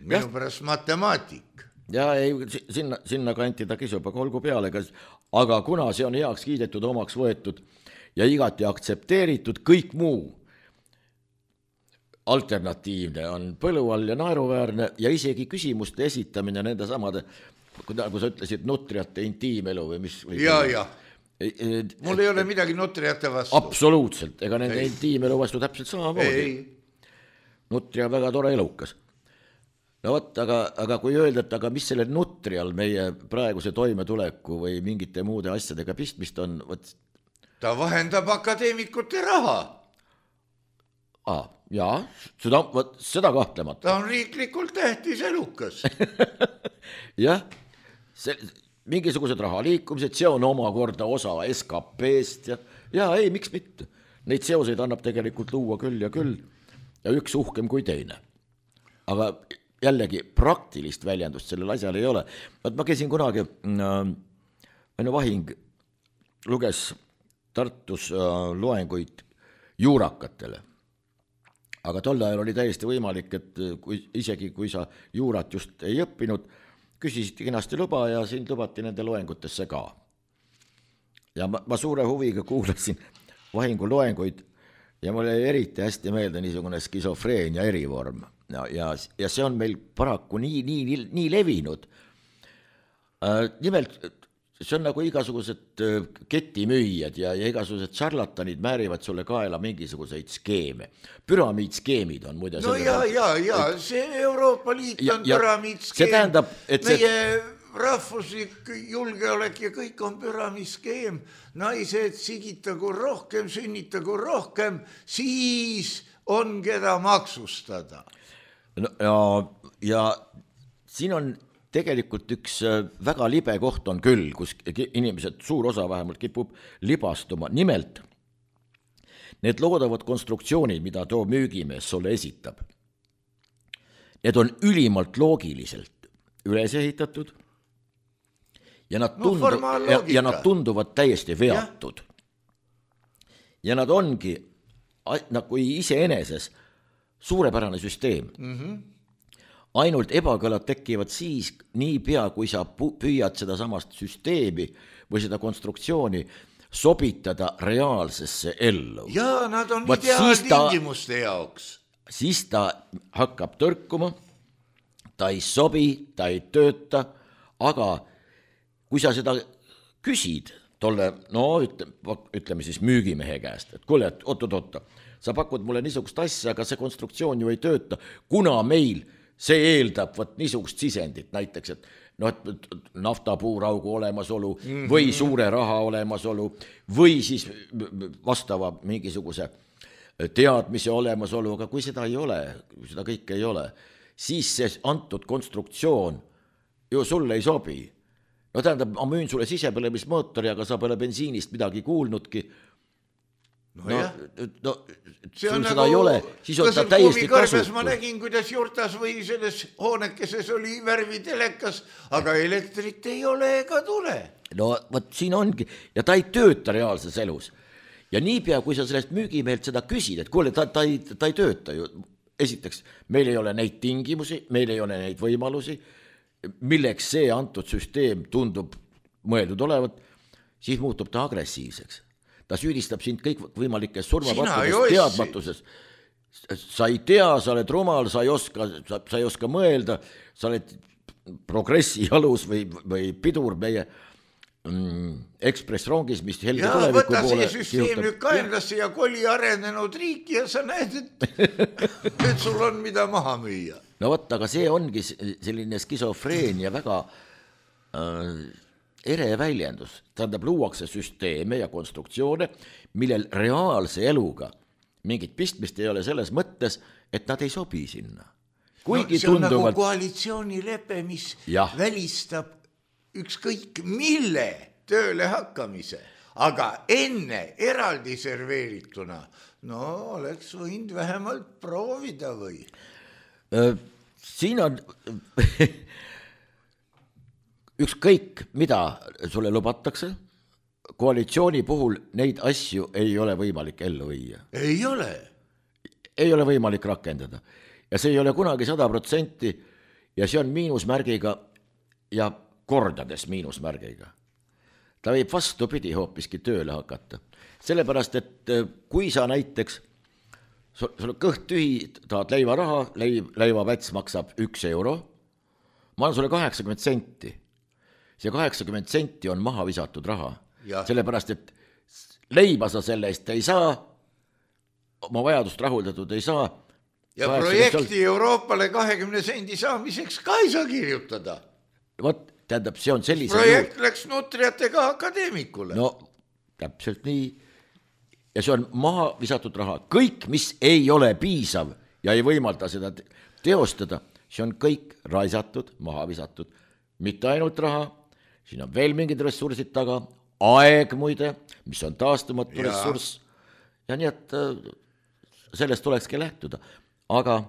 minu pärast matemaatik. Ja ei, sinna kanti ta kisub, aga olgu peale, aga kuna see on heaks kiidetud, omaks võetud ja igati aktsepteeritud, kõik muu alternatiivne on põlu all ja naeruväärne ja isegi küsimuste esitamine nende samade, nagu sa ütlesid, nutriate intiimelu või mis. Ja. Mul ei ole midagi nutriate vastu. Absoluutselt, ega nende intiimelu vastu täpselt samamoodi. Nutria on väga tore elukas. No võt, aga kui öelda, et aga mis selle nutrial meie praeguse toimetuleku või mingite muude asjadega pistmist on, võt. Ta vahendab akadeemikute raha. Jaa, seda kahtlemata. Ta on riiklikult tähtis elukas. Jah, mingisugused raha liikumised, see on omakorda osa SKP-st ja ei, miks mitte. Neid seoseid annab tegelikult luua küll ja üks uhkem kui teine. Aga jällegi praktilist väljendust sellel asjal ei ole. Ma käisin kunagi, Aino Vahing luges Tartus loenguid juurakatele. Aga tol ajal oli täiesti võimalik, et isegi kui sa juurat just ei õppinud, küsisid kenasti luba ja sind lubati nende loengutesse ka. Ja ma suure huviga kuulasin Vahingu loenguid ja mul jäi eriti hästi meelde niisugune skisofreenia erivorm. Ja see on meil paraku nii levinud. Nimelt, see on nagu igasugused ketimüüjad ja igasugused šarlatanid määrivad sulle kaela mingisuguseid skeeme. Püramiidskeemid on muide. No ja, see Euroopa Liit on püramiidskeem. See tähendab, et meie rahvuslik julgeolek ja kõik on püramiidskeem. Naised sigitagu rohkem, sünnitagu rohkem, siis on keda maksustada. Ja siin on tegelikult üks väga libe koht on küll, kus inimesed, suur osa vähemalt kipub libastuma. Nimelt, need loodavad konstruktsioonid, mida too müügimees sulle esitab, need on ülimalt loogiliselt üles ehitatud ja nad tunduvad täiesti veatud. Ja nad ongi nagu iseeneses suurepärane süsteem. Ainult ebakõlad tekivad siis nii pea, kui sa püüad seda samast süsteemi või seda konstruktsiooni sobitada reaalsesse ellu. Ja nad on ideaaltingimuste jaoks. Siis ta hakkab tõrkuma, ta ei sobi, ta ei tööta, aga kui sa seda küsid tolle, ütleme siis müügimehe käest, et kuule, oot, sa pakud mulle niisugust asja, aga see konstruktsioon ju ei tööta, kuna meil see eeldab niisugust sisendit, näiteks, et naftapuuraugu olemasolu või suure raha olemasolu või siis vastava mingisuguse teadmise olemasolu, aga kui seda ei ole, seda kõike ei ole, siis see antud konstruktsioon ju sulle ei sobi. No tähendab, ma müün sulle sisepõlemismootori, aga sa pole bensiinist midagi kuulnudki. See on seda ei ole, siis on ta täiesti kasutu. Ma nägin, kuidas juurtas või selles hoonekeses oli värvitelekas, aga elektrit ei ole ega tule. No võt siin ongi, ja ta ei tööta reaalses elus. Ja niipea, kui sa sellest müügimehelt seda küsid, et kuule, ta ei tööta ju. Esiteks, meil ei ole neid tingimusi, meil ei ole neid võimalusi, milleks see antud süsteem tundub mõeldud olevat, siis muutub ta agressiivseks. Ta süüdistab sind kõik võimalikes surmapattudes, teadmatuses. Sa ei tea, sa oled rumal, sa ei oska mõelda, sa oled progressi jalus või pidur meie ekspressrongis, mis helge tuleviku poole. Võta see süsteem nüüd kaenlasse ja koli arenenud riiki ja sa näed, et sul on mida maha müüa. No võtta, aga see ongi selline skisofreenia väga ere väljendus. Tähendab, luuakse süsteeme ja konstruktsioone, millel reaalse eluga mingit pistmist ei ole selles mõttes, et nad ei sobi sinna. See on nagu koalitsioonilepe, mis välistab ükskõik mille tööle hakkamise, aga enne eraldi serveerituna no oleks võinud vähemalt proovida või? Siin on ükskõik, mida sulle lubatakse, koalitsiooni puhul neid asju ei ole võimalik ellu viia. Ei ole. Ei ole võimalik rakendada. Ja see ei ole kunagi 100% ja see on miinusmärgiga ja kordades miinusmärgiga. Ta võib vastupidi hoopiski tööle hakata. Sellepärast, et kui sa näiteks, sul kõht tühi, tahad leivaraha, leivapäts maksab 1 euro, ma annan sulle 80 senti. See 80 senti on maha visatud raha. Sellepärast, et leiba sa selle eest ei saa, oma vajadust rahuldatud ei saa. Ja projekti Euroopale 20 sendi saamiseks ka ei saa kirjutada. Vot, tähendab, see on sellise projekt läks nutriatega akadeemikule. No, täpselt nii. Ja see on maha visatud raha. Kõik, mis ei ole piisav ja ei võimalda seda teostada, see on kõik raisatud, maha visatud. Mitte ainult raha, siin on veel mingid ressursid taga, aeg muide, mis on taastumatu ressurss. Ja nii, et sellest tulekski lähtuda. Aga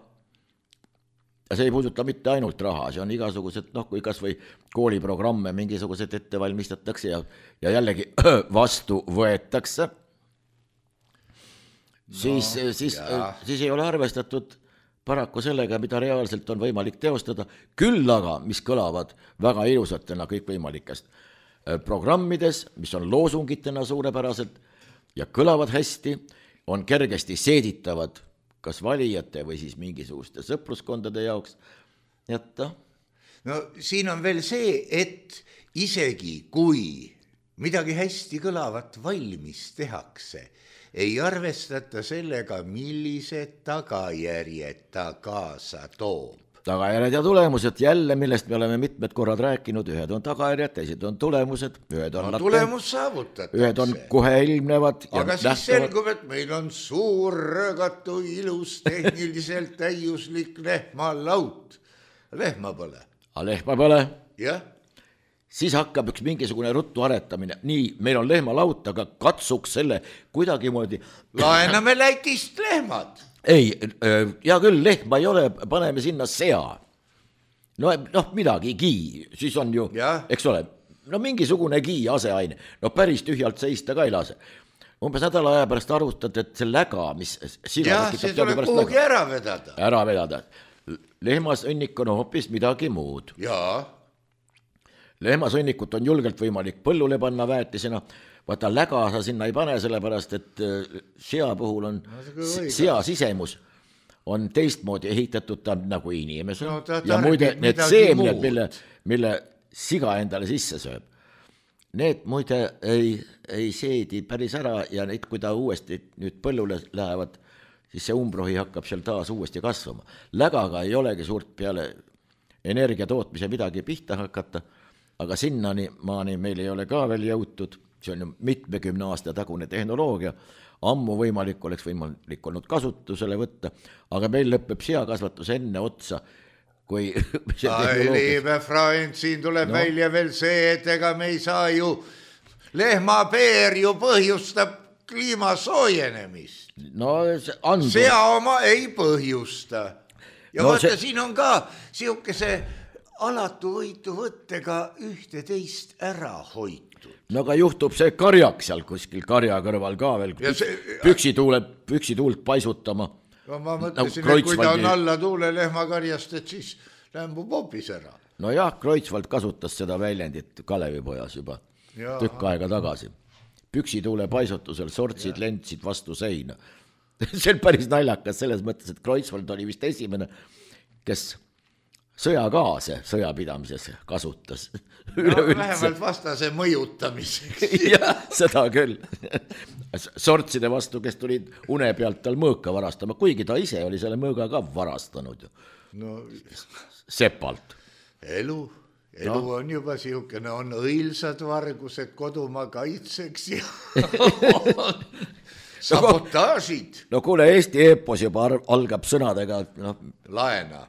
see ei puuduta mitte ainult raha, see on igasugused, kui kas või kooliprogramme mingisugused ette valmistatakse ja jällegi vastu võetakse, siis ei ole arvestatud paraku sellega, mida reaalselt on võimalik teostada, küll aga, mis kõlavad väga ilusatena kõikvõimalikest programmides, mis on loosungitena suurepäraselt ja kõlavad hästi, on kergesti seeditavad kas valijate või siis mingisuguste sõpruskondade jaoks. No siin on veel see, et isegi kui midagi hästi kõlavat valmis tehakse, ei arvestata sellega, millised tagajärjed ta kaasa toob. Tagajärjed ja tulemused jälle, millest me oleme mitmed korrad rääkinud, ühed on tagajärjed, teised on tulemused, ühed on tulemus saavutatakse. Ühed on kohe ilmnevad. Aga siis selgub, et meil on suur röögatu, ilus, tehniliselt täiuslik lehmalaut. Lehma pole. Lehma pole. Jah. Siis hakkab üks mingisugune ruttu aretamine. Nii, meil on lehmalaut, aga katsuks selle kuidagi moodi. Laename Lätist lehmad. Ei, hea küll, lehma ei ole, paneme sinna sea. No midagigi, siis on ju, eks ole, no mingisugune aseaine. No päris tühjalt seista ka ei lase. Umbes nädala aja pärast arvutad, et see läga, mis jah, see tuleb kuhugi ära vedada. Ära vedada. Lehmasõnnik on hoopis midagi muud. Jaa. Lehmasõnnikut on julgelt võimalik põllule panna väetisena, vaata läga sa sinna ei pane, sellepärast, et sea puhul on, sea sisemus on teistmoodi ehitatud, ta nagu inimesel. Ja muide, need seemned, mille siga endale sisse sööb, need muide ei seedi päris ära ja neid, kui ta uuesti nüüd põllule lähevad, siis see umbrohi hakkab seal taas uuesti kasvama. Lägaga ei olegi suurt peale energia tootmise midagi pihta hakata, aga sinnani maani meil ei ole ka veel jõutud, see on ju mitmekümne aasta tagune tehnoloogia, ammu võimalik oleks võimalik olnud kasutusele võtta, aga meil lõpeb seakasvatus enne otsa, kui liebe Freund, siin tuleb välja veel see, et ega me ei saa ju, lehmapeer ju põhjustab kliima soojenemist. Sea oma ei põhjusta. Ja vaata, siin on ka siukese alatu võitu võttega ühte teist ära hoitud. No aga juhtub see karjak seal kuskil karja kõrval ka veel, püksituult paisutama. No ma mõtlesin, et kui ta on alla tuule lehmakarjast, et siis lämbub hoopis ära. No jah, Kreutzwald kasutas seda väljendit Kalevipojas juba tükk aega tagasi. Püksituule paisutusel sortsid, lentsid vastu seina. See on päris naljakas selles mõttes, et Kreutzwald oli vist esimene, kes sõjagaase sõjapidamises kasutas. Vähemalt vastase mõjutamiseks. Jah, seda küll. Sortside vastu, kes tulid une pealt tal mõõka varastama, kuigi ta ise oli selle mõõga ka varastanud. Sepalt. Elu on juba siukene, on õilsad vargused kodumaa kaitseks ja sabotaažid. No kuule, Eesti eepos juba algab sõnadega laena.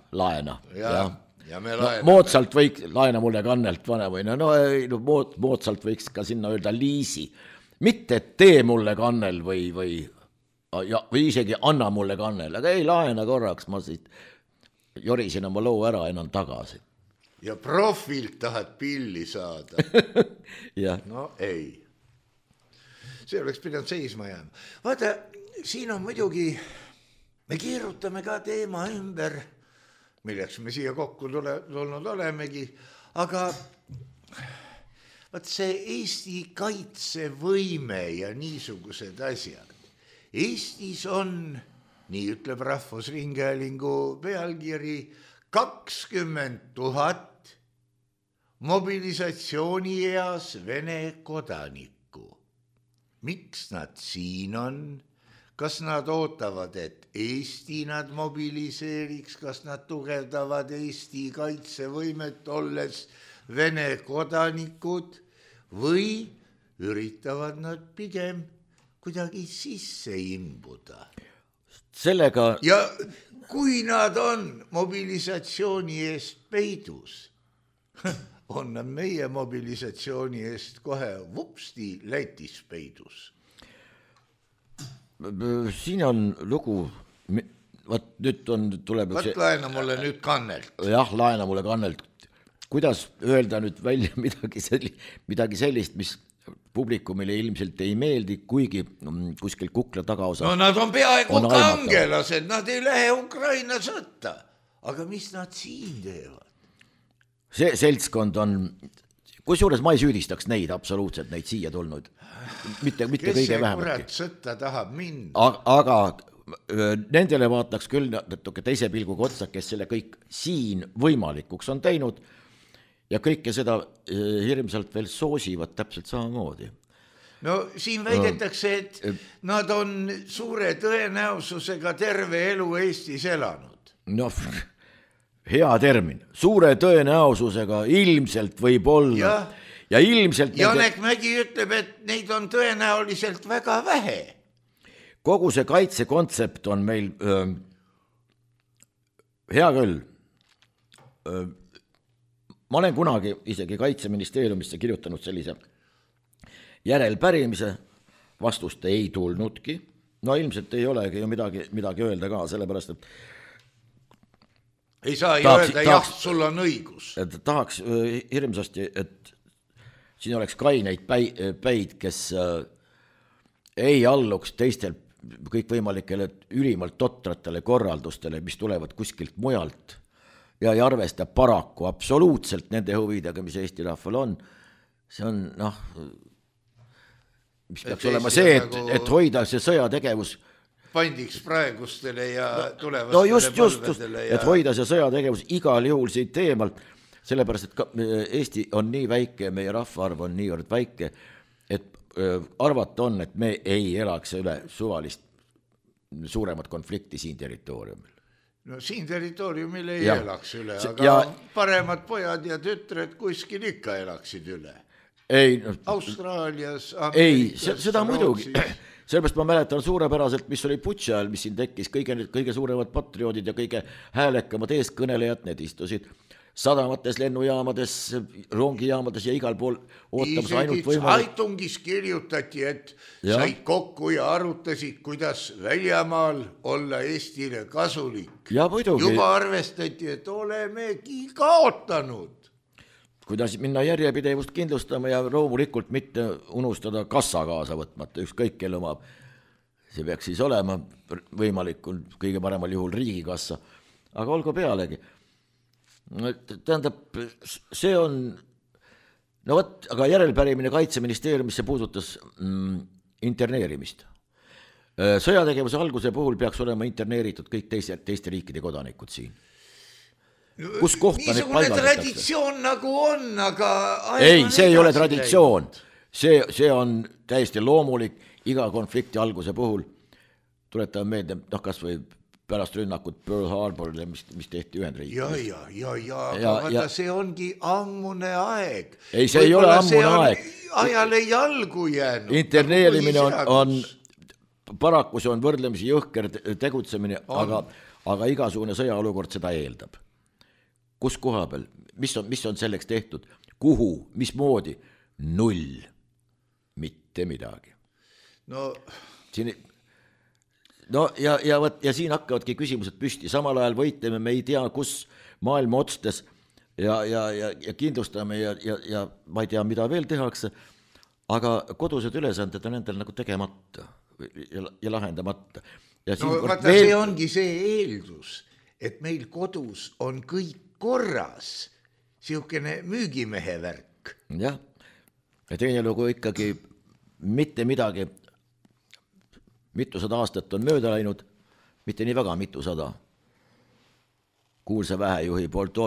Ja me laena. Mootsalt võiks, laena mulle kannelt vanemuine, mootsalt võiks ka sinna öelda liisi. Mitte tee mulle kannel või või isegi anna mulle kannel, aga ei laena korraks, ma siit jorisin oma loo ära enam tagasi. Ja profilt tahad pilli saada. No ei. See oleks pidanud seisma jääma. Vaata, siin on muidugi, me keerutame ka teema ümber, milleks me siia kokku tulnud olemegi, aga vaat see Eesti kaitsevõime ja niisugused asjad. Eestis on, nii ütleb Rahvusringhäälingu pealkiri, 20 000 mobilisatsioonieas Vene kodanikku. Miks nad siin on? Kas nad ootavad, et Eesti nad mobiliseeriks, kas nad tugevdavad Eesti kaitsevõimet, olles Vene kodanikud, või üritavad nad pigem kuidagi sisse imbuda? Sellega... Ja kui nad on mobilisatsiooni eest peidus, on nad meie mobilisatsiooni eest kohe vupsti Lätis peidus. Siin on lugu, vaat nüüd tuleb... Vaat laena mulle nüüd kannelt. Jah, laena mulle kannelt. Kuidas öelda nüüd välja midagi sellist, mis publikumile ilmselt ei meeldi, kuigi kuskil kukla tagaosa... No nad on peaaegu kangelased, nad ei lähe Ukraina sõtta. Aga mis nad siin teevad? See seltskond on... Kusjuures ma ei süüdistaks neid absoluutselt, neid siia tulnud. Mitte kõige vähematki. Kurat sõtta tahab minna? Aga nendele vaataks küll natuke teise pilguga otsa, kes selle kõik siin võimalikuks on teinud ja kõike seda hirmsalt veel soosivad täpselt samamoodi. No siin väidetakse, et nad on suure tõenäosusega terve elu Eestis elanud. No, hea termin. Suure tõenäosusega ilmselt võib olla. Ja ilmselt... Janek Mägi ütleb, et neid on tõenäoliselt väga vähe. Kogu see kaitsekontsept on meil hea küll. Ma olen kunagi isegi Kaitseministeeriumisse kirjutanud sellise järelpärimise, vastust ei tulnudki. No ilmselt ei olegi ju midagi öelda ka, sellepärast, et ei saa ju öelda, jah, sul on õigus. Tahaks hirmsasti, et siin oleks kaineid päid, kes ei alluks teistel kõikvõimalikele ülimalt totratele korraldustele, mis tulevad kuskilt mujalt ja ei arvesta paraku absoluutselt nende huvidega, mis Eesti rahval on. See on, mis peaks olema see, et hoida see sõjategevus pandiks praegustele ja tulevastele palvedele. Et hoida see sõjategevus igal juhul siit teemalt, sellepärast, et Eesti on nii väike, meie rahvaarv on niivõrd väike, et arvata on, et me ei elaks üle suvalist suuremat konflikti siin territooriumil. No siin territooriumil ei elaks üle, aga paremad pojad ja tütred kuskil ikka elaksid üle. Austraalias, Ameerikas, seda muidugi. Sellepärast ma mäletan suurepäraselt, mis oli Butša ajal, mis siin tekkis, kõige suuremad patrioodid ja kõige häälekamad eeskõnelejad, need istusid sadamates, lennujaamades, rongijaamades ja igal pool ootamas ainult võimalik. Aitungis kirjutati, et said kokku ja arutasid, kuidas väljamaal olla Eestile kasulik. Ja muidugi. Juba arvestati, et olemegi kaotanud. Kuidas minna järjepidevust kindlustama ja loomulikult mitte unustada kassa kaasa võtmata, ükskõik kelle omab. See peaks siis olema võimalikult kõige paremal juhul riigikassa, aga olgu pealegi. Tähendab, see on, aga järelpärimine Kaitseministeeriumisse puudutas interneerimist. Sõjategevuse alguse puhul peaks olema interneeritud kõik teiste riikide kodanikud siin. Kus kohta niisugune traditsioon nagu on, aga ei, see ei ole traditsioon. See on täiesti loomulik iga konflikti alguse puhul. Tuletan meelde, kas või pärast rünnakut Pearl Harborile, mis tehti Ühendriikides. Aga see ongi ammune aeg. Ei, see ei ole ammune aeg. Ajale jalgu jäänud. Interneerimine on paraku see on võrdlemisi jõhker tegutsemine, aga igasugune sõjaolukord seda eeldab. Kus koha peal, mis on selleks tehtud, kuhu, mismoodi, 0, mitte midagi. No. Siin no ja siin hakkavadki küsimused püsti, samal ajal võitleme, me ei tea, kus maailma otstes ja kindlustame ja ma ei tea, mida veel tehakse, aga kodused ülesanded on endal nagu tegemata ja lahendamata. Ja no vaata veel... see ongi see eeldus, et meil kodus on kõik korras, siukene müügimehe värk. Jah, ja teine lugu ikkagi mitte midagi, mitusada aastat on mööda läinud, mitte nii väga mitusada. Kuulsa vähejuhi poolt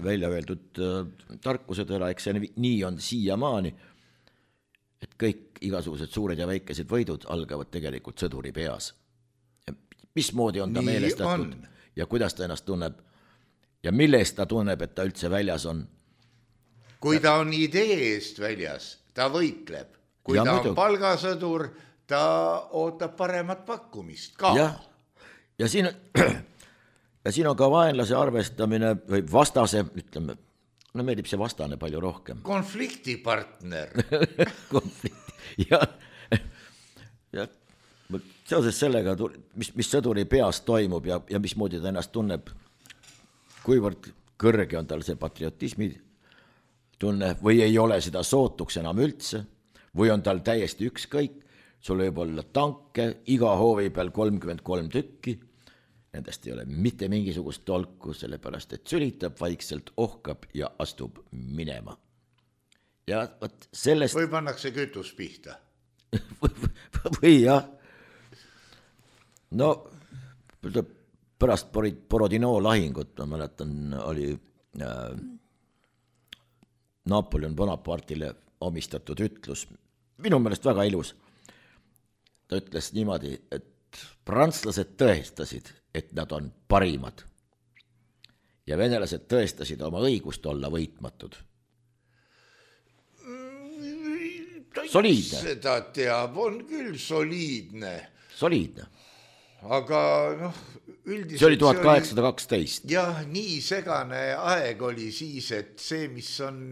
välja öeldud tarkusetõra, eks see nii on siiamaani, et kõik igasugused suured ja väikesed võidud algavad tegelikult sõduri peas. Mismoodi on ta meelestatud ja kuidas ta ennast tunneb ja millest ta tunneb, et ta üldse väljas on. Kui ta on idee eest väljas, ta võitleb. Kui ja ta on palgasõdur, ta ootab paremat pakkumist ka. Ja siin on ka vaenlase arvestamine või vastase, ütleme, no meeldib see vastane palju rohkem. Konfliktipartner. ja seoses sellega, mis sõduri peas toimub ja mismoodi ta ennast tunneb, kuivõrd kõrge on tal see patriotismi tunne või ei ole seda sootuks enam üldse või on tal täiesti ükskõik, sul võib olla tanke, iga hoovi peal 33 tükki, nendest ei ole mitte mingisugust tolku, sellepärast et sülitab vaikselt, ohkab ja astub minema. Ja võt sellest... Või pannakse kütus pihta. või jah. No pärast Borodino lahingut, ma mäletan, oli Napoleon Bonapartile omistatud ütlus, minu meelest väga ilus. Ta ütles niimoodi, et prantslased tõestasid, et nad on parimad ja venelased tõestasid oma õigust olla võitmatud. Soliidne. Seda teab, on küll soliidne. Soliidne. Aga noh, üldiselt... See oli 1812. Jah, nii segane aeg oli siis, et see, mis on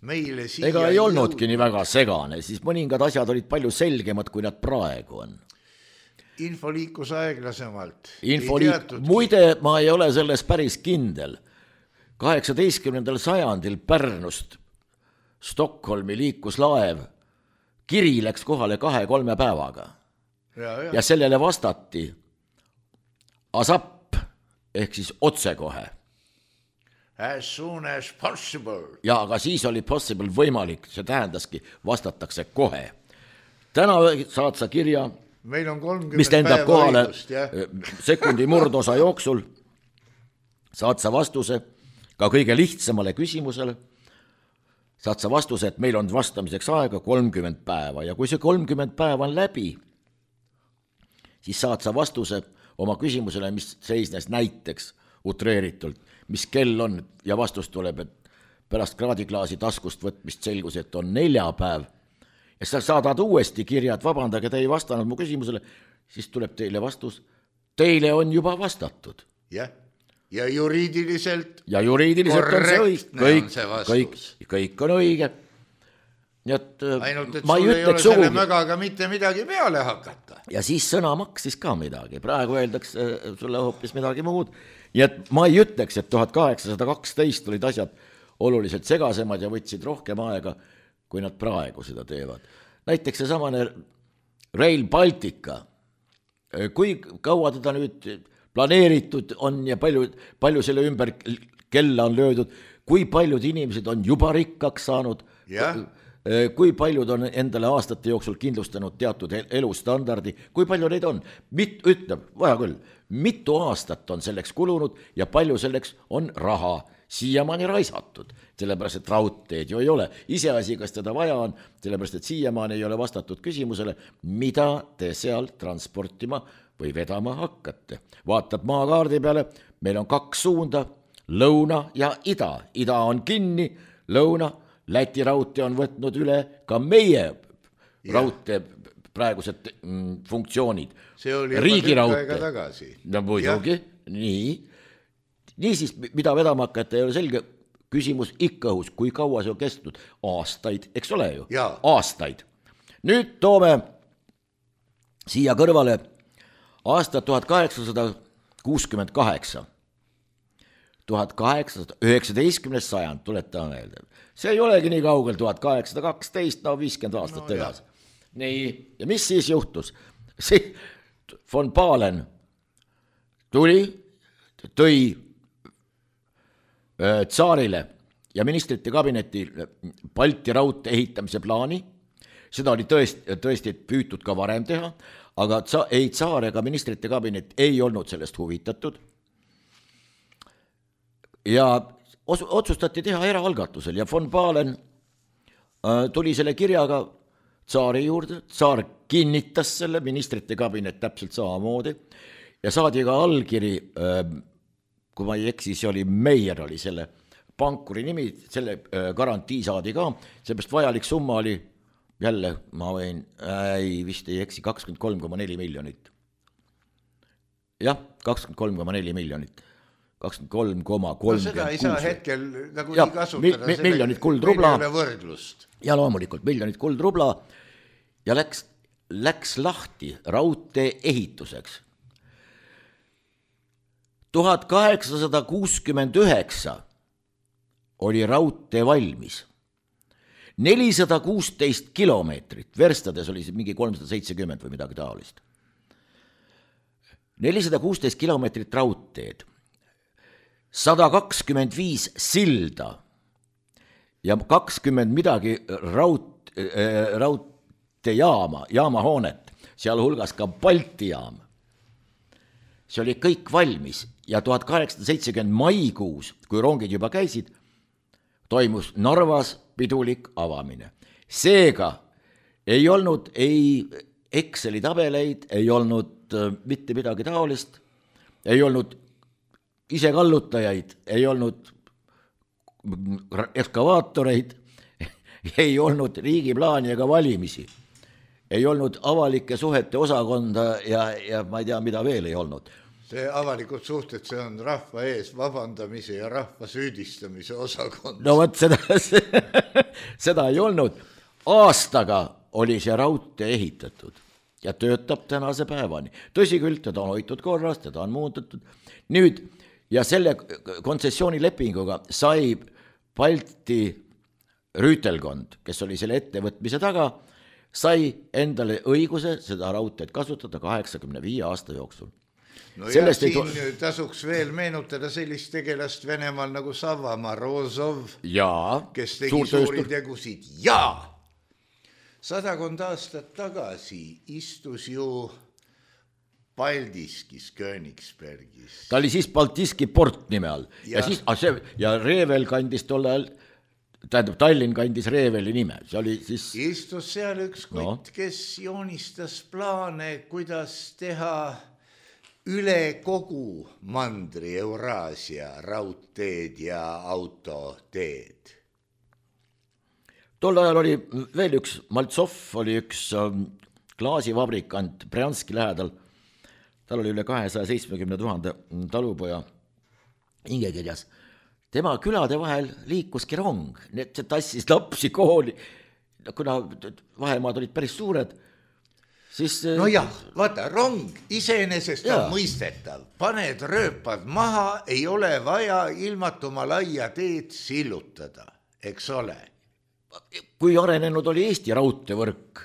meile siia... Ega ei olnudki nii väga segane, siis mõningad asjad olid palju selgemad, kui nad praegu on. Info liikus aeglasemalt. Muide, ma ei ole selles päris kindel. 18. sajandil Pärnust Stockholmi liikus laev. Kiri läks kohale 2-3 päevaga. Ja sellele vastati ASAP ehk siis otsekohe. As soon as possible. Ja aga siis oli possible võimalik, see tähendaski vastatakse kohe. Täna saad sa kirja, meil on 30 mis lendab kohale õigust, sekundi murdosa jooksul, saad sa vastuse ka kõige lihtsamale küsimusele, saad sa vastuse, et meil on vastamiseks aega 30 päeva ja kui see 30 päeva on läbi, siis saad sa vastuse oma küsimusele, mis seisnes näiteks utreeritult, mis kell on ja vastus tuleb, et pärast kraadiklaasi taskust võtmist selgus, et on 4 päev ja sa saadad uuesti kirja, et vabandage, te ei vastanud mu küsimusele, siis tuleb teile vastus, teile on juba vastatud. Ja juriidiliselt korrektne on see vastus. Kõik on õige. Ainult, et sul ei ole selle mögaga mitte midagi peale hakata. Ja siis sõna maksis ka midagi. Praegu öeldakse sulle hoopis midagi muud. Ja ma ei ütleks, et 1812 olid asjad oluliselt segasemad ja võtsid rohkem aega, kui nad praegu seda teevad. Näiteks see samane Rail Baltica. Kui kaua teda nüüd planeeritud on ja palju selle ümber kella on löödud, kui paljud inimesed on juba rikkaks saanud, kui paljud on endale aastate jooksul kindlustanud teatud elustandardi, kui palju neid on? Ütleb, vaja küll, mitu aastat on selleks kulunud ja palju selleks on raha siiamaani raisatud, sellepärast et raudteed ju ei ole. Iseasi, kas teda vaja on, sellepärast et siiamaani ei ole vastatud küsimusele, mida te seal transportima või vedama hakkate. Vaatad maakaardi peale, meil on 2 suunda, lõuna ja ida. Ida on kinni, lõuna. Läti raudtee on võtnud üle ka meie raudtee praegused funktsioonid. See oli juba aega tagasi. No muidugi, nii. Niisiis, mida vedama hakata, ei ole selge küsimus ikka õhus, kui kaua see on kestnud? Aastaid, eks ole ju? Aastaid. Nüüd toome siia kõrvale aasta 1868, 19. sajand, tuletame meelde. See ei olegi nii kaugel, 1812, no 50 aastat edasi. Nii, ja mis siis juhtus? Von Pahlen tõi tsaarile ja ministrite kabinetil Balti raudtee ehitamise plaani. Seda oli tõesti püütud ka varem teha, aga ei tsaar ega ministrite kabinet ei olnud sellest huvitatud. Ja otsustati teha eraalgatusel ja Von Pahlen tuli selle kirjaga tsaari juurde, tsaar kinnitas selle, ministrite kabinet täpselt samamoodi ja saadi ka allkiri, kui ma ei eksi, see oli Meier oli selle pankuri nimi, selle garantii saadi ka, seepärast vajalik summa oli jälle, ma võin, vist ei eksi, 23,4 miljonit. Jah, 23,4 miljonit. 23,36. Seda ei saa hetkel nagu nii kasutada. Miljonit kuldrubla. Võrdlust. Ja loomulikult miljonit kuldrubla ja läks lahti raudtee ehituseks. 1869 oli raudtee valmis. 416 kilomeetrit, verstades oli see mingi 370 või midagi taolist. 416 kilomeetrit raudteed, 125 silda ja 20 midagi jaamahoonet, seal hulgas ka Balti jaam. See oli kõik valmis ja 1870 maikuus, kui rongid juba käisid, toimus Narvas pidulik avamine. Seega ei olnud ei Exceli tabeleid, ei olnud mitte midagi taolist, ei olnud isekallutajaid, ei olnud ekskavaatoreid, ei olnud riigiplaani ega valimisi, ei olnud avalike suhete osakonda ja ma ei tea, mida veel ei olnud. See avalikud suhted, see on rahva ees vabandamise ja rahva süüdistamise osakond. No võt, seda ei olnud. Aastaga oli see raudtee ehitatud ja töötab tänase päevani. Tõsi küll, teda on hoitud korras, teda on muutatud. Nüüd, ja selle kontsessioonilepinguga sai Balti rüütelkond, kes oli selle ettevõtmise taga, sai endale õiguse seda raudteed kasutada 85 aasta jooksul. No ja siin tasuks veel meenutada sellist tegelast Venemaal nagu Savamaa Rozov, kes tegi suuri tegusid. Ja 100 aastat tagasi istus ju Paldiskis, Königsbergis. Ta oli siis Baltiski port nime all. Ja Revel kandis tol ajal, tähendab Tallinn kandis Reveli nime. See oli siis... Istus seal üks kutt, kes joonistas plaane, kuidas teha üle kogu mandri Euraasia raudteed ja autoteed. Tol ajal oli veel üks, Maltsov oli üks klaasivabrikant Brjanski lähedal. Tal oli üle 270 000 talupoja hingekirjas. Tema külade vahel liikuski rong, see tassis lapsi kooli, kuna vahemaad olid päris suured. Siis, no jah, vaata, rong iseenesest on mõistetav. Paned rööpad maha, ei ole vaja ilmatuma laia teed sillutada, eks ole. Kui arenenud oli Eesti raudteevõrk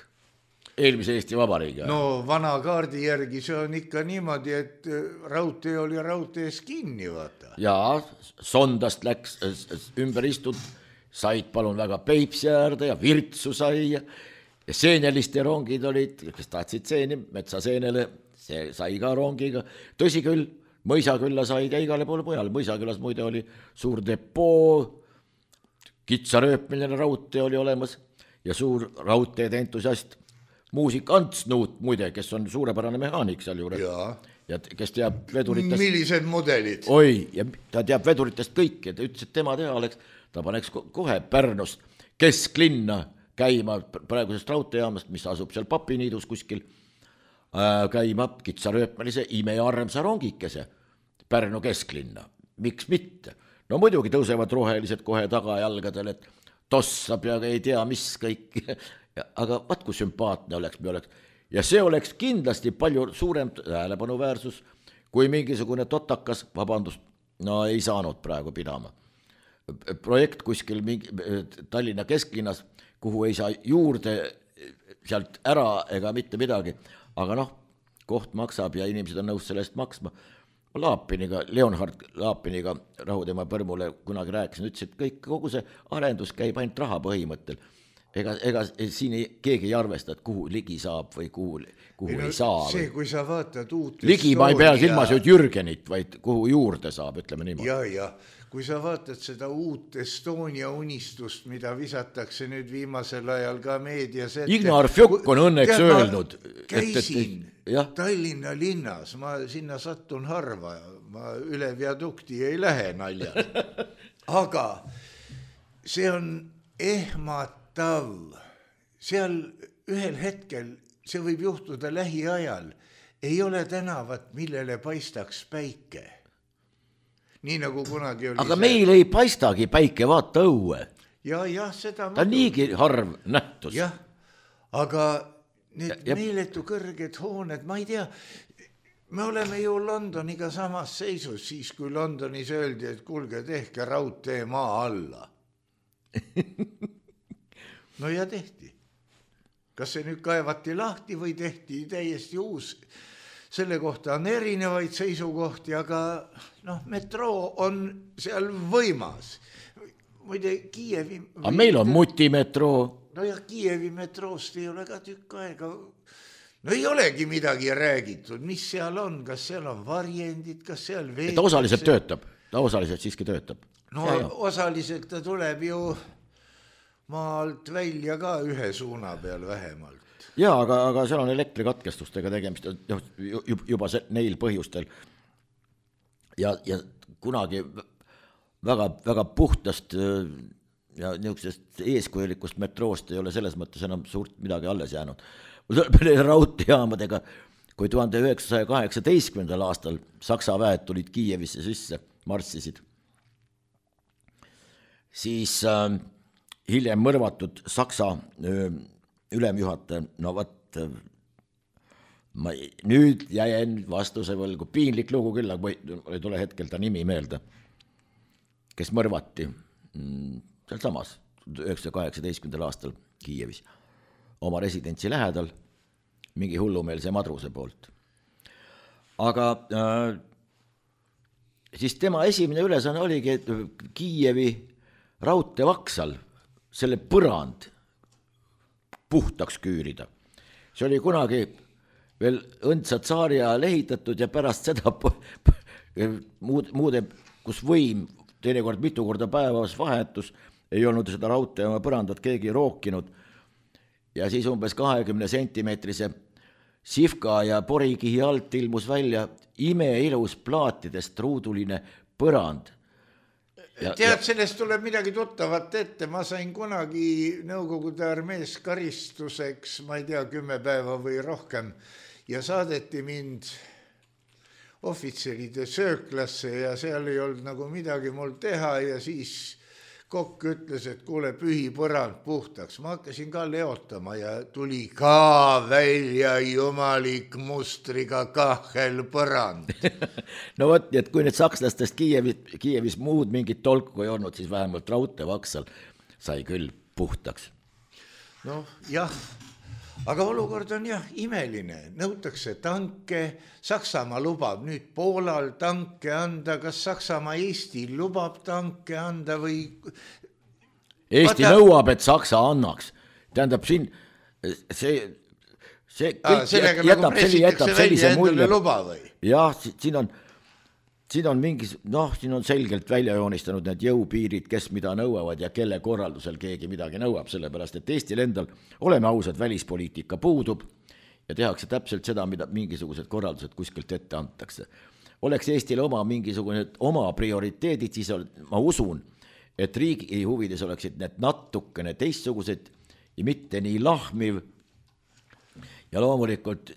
eelmise Eesti Vabariigi? No vana kaardi järgi see on ikka niimoodi, et raudtee oli raudtees kinni, vaata. Jaa, Sondast läks ümber istud, said palun väga Peipsi äärde ja Virtsu sai ja seeneliste rongid olid, kes tahtsid seeni, Metsaseenele, see sai ka rongiga. Tõsi küll, Mõisakülla sai ka igale poole mujal. Mõisaküllas muide oli suur depoo, kitsarööpmiline raudtee oli olemas ja suur raudteede entusiast muusik Ants Nuut muide, kes on suurepärane mehaanik seal juures. Ja kes teab veduritest... Millised mudelid? Oi, ja ta teab veduritest kõiki, ta ütles, et tema teha oleks, ta paneks kohe Pärnust kesklinna käima praegusest raudteejaamast, mis asub seal Papiniidus kuskil, käima kitsarööpmelise imearmsa rongikese Pärnu kesklinna. Miks mitte? No muidugi tõusevad rohelised kohe tagajalgadel, et tossab ja ei tea mis kõik. Aga vaat kui sümpaatne oleks, ja see oleks kindlasti palju suurem tähelepanuväärsus, kui mingisugune totakas, vabandust, no ei saanud praegu pidama. Projekt kuskil Tallinna kesklinnas, kuhu ei saa juurde sealt ära ega mitte midagi, aga noh, koht maksab ja inimesed on nõus selle eest maksma. Laapiniga, Leonhard Laapiniga Rahutema Põrmule kunagi rääkisin, ütles, et kogu see arendus käib ainult raha põhimõttel. Ega siin keegi ei arvesta, et kuhu ligi saab või kuhu ei saa. See, kui sa vaatad uut ligi ma ei pea silmas Jürgenit, vaid kuhu juurde saab, ütleme niimoodi. Ja, kui sa vaatad seda uut Estonia unistust, mida visatakse nüüd viimasel ajal ka meedias ette. Ignar Fjokk on õnneks öelnud. Käisin Tallinna linnas, ma sinna sattun harva, ma üle viadukti ei lähe naljal. Aga see on ehmatav. Seal ühel hetkel, see võib juhtuda lähiajal, ei ole tänavat, millele paistaks päike. Nii nagu kunagi oli. Aga meil ei paistagi päike, vaata õue. Ja, seda ta on niigi harv nähtus. Jah, aga need meeletu kõrged hooned, ma ei tea, me oleme ju Londoniga samas seisus, siis kui Londonis öeldi, et kuulge, tehke raudtee maa alla. No ja tehti. Kas see nüüd kaevati lahti või tehti täiesti uus? Selle kohta on erinevaid seisukohti, aga metroo on seal võimas. Muide, Kiievi... Aga meil on mutimetroo. No ja Kiievi metroost ei ole ka tükk aega. No ei olegi midagi räägitud, mis seal on, kas seal on varjendid, kas seal veed... Ta osaliselt töötab, ta osaliselt siiski töötab. No osaliselt ta tuleb ju... maalt välja ka ühe suuna peal vähemalt. Jaa, aga seal on elektrikatkestustega tegemist juba neil põhjustel. Ja kunagi väga, väga puhtast ja niisugusest eeskujulikust metroost ei ole selles mõttes enam suurt midagi alles jäänud. Raudteejaamadega, kui 1918. aastal Saksa väed tulid Kiievisse sisse, marssisid, siis... hiljem mõrvatud Saksa ülemjuhataja, no võt, nüüd jäin vastuse võlgu, piinlik lugu küll, aga ei tule hetkel ta nimi meelde, kes mõrvati seal samas 1918. aastal Kiievis oma residentsi lähedal mingi hullumeelse madruse poolt. Aga siis tema esimene ülesanne oligi Kiievi raudteevaksal selle põrand puhtaks küürida. See oli kunagi veel õndsad saari ajal ehitatud ja pärast seda muude, kus võim teinekord mitu korda päevas vahetus, ei olnud seda raudtee oma põrandat keegi rookinud ja siis umbes 20 sentimeetrise sifka ja porikihi alt ilmus välja imeilus plaatidest ruuduline põrand. Tead, sellest tuleb midagi tuttavat ette, ma sain kunagi Nõukogude armees karistuseks, ma ei tea, 10 päeva või rohkem ja saadeti mind ohvitseride sööklasse ja seal ei olnud nagu midagi mul teha ja siis kokk ütles, et kuule, pühi põrand puhtaks. Ma hakkasin ka leotama ja tuli ka välja jumalik mustriga kahelpõrand. No võt, et kui need sakslastest Kiievis muud mingit tolku ei olnud, siis vähemalt raudteevaksal sai küll puhtaks. No jah, aga olukord on jah imeline. Nõutakse tanke, Saksamaa lubab nüüd Poolal tanke anda, kas Saksamaa Eestil lubab tanke anda või... Eesti nõuab, et Saksa annaks. Tähendab siin, see sellega nagu pressitakse välja endale luba või? Jah, siin on mingis, siin on selgelt välja joonistanud need jõupiirid, kes mida nõuavad ja kelle korraldusel keegi midagi nõuab, sellepärast, et Eestil endal, oleme ausad, välispoliitika puudub ja tehakse täpselt seda, mida mingisugused korraldused kuskilt ette antakse. Oleks Eestil oma prioriteedid, siis ma usun, et riigi huvides oleksid need natukene teistsugused ja mitte nii lahmiv ja loomulikult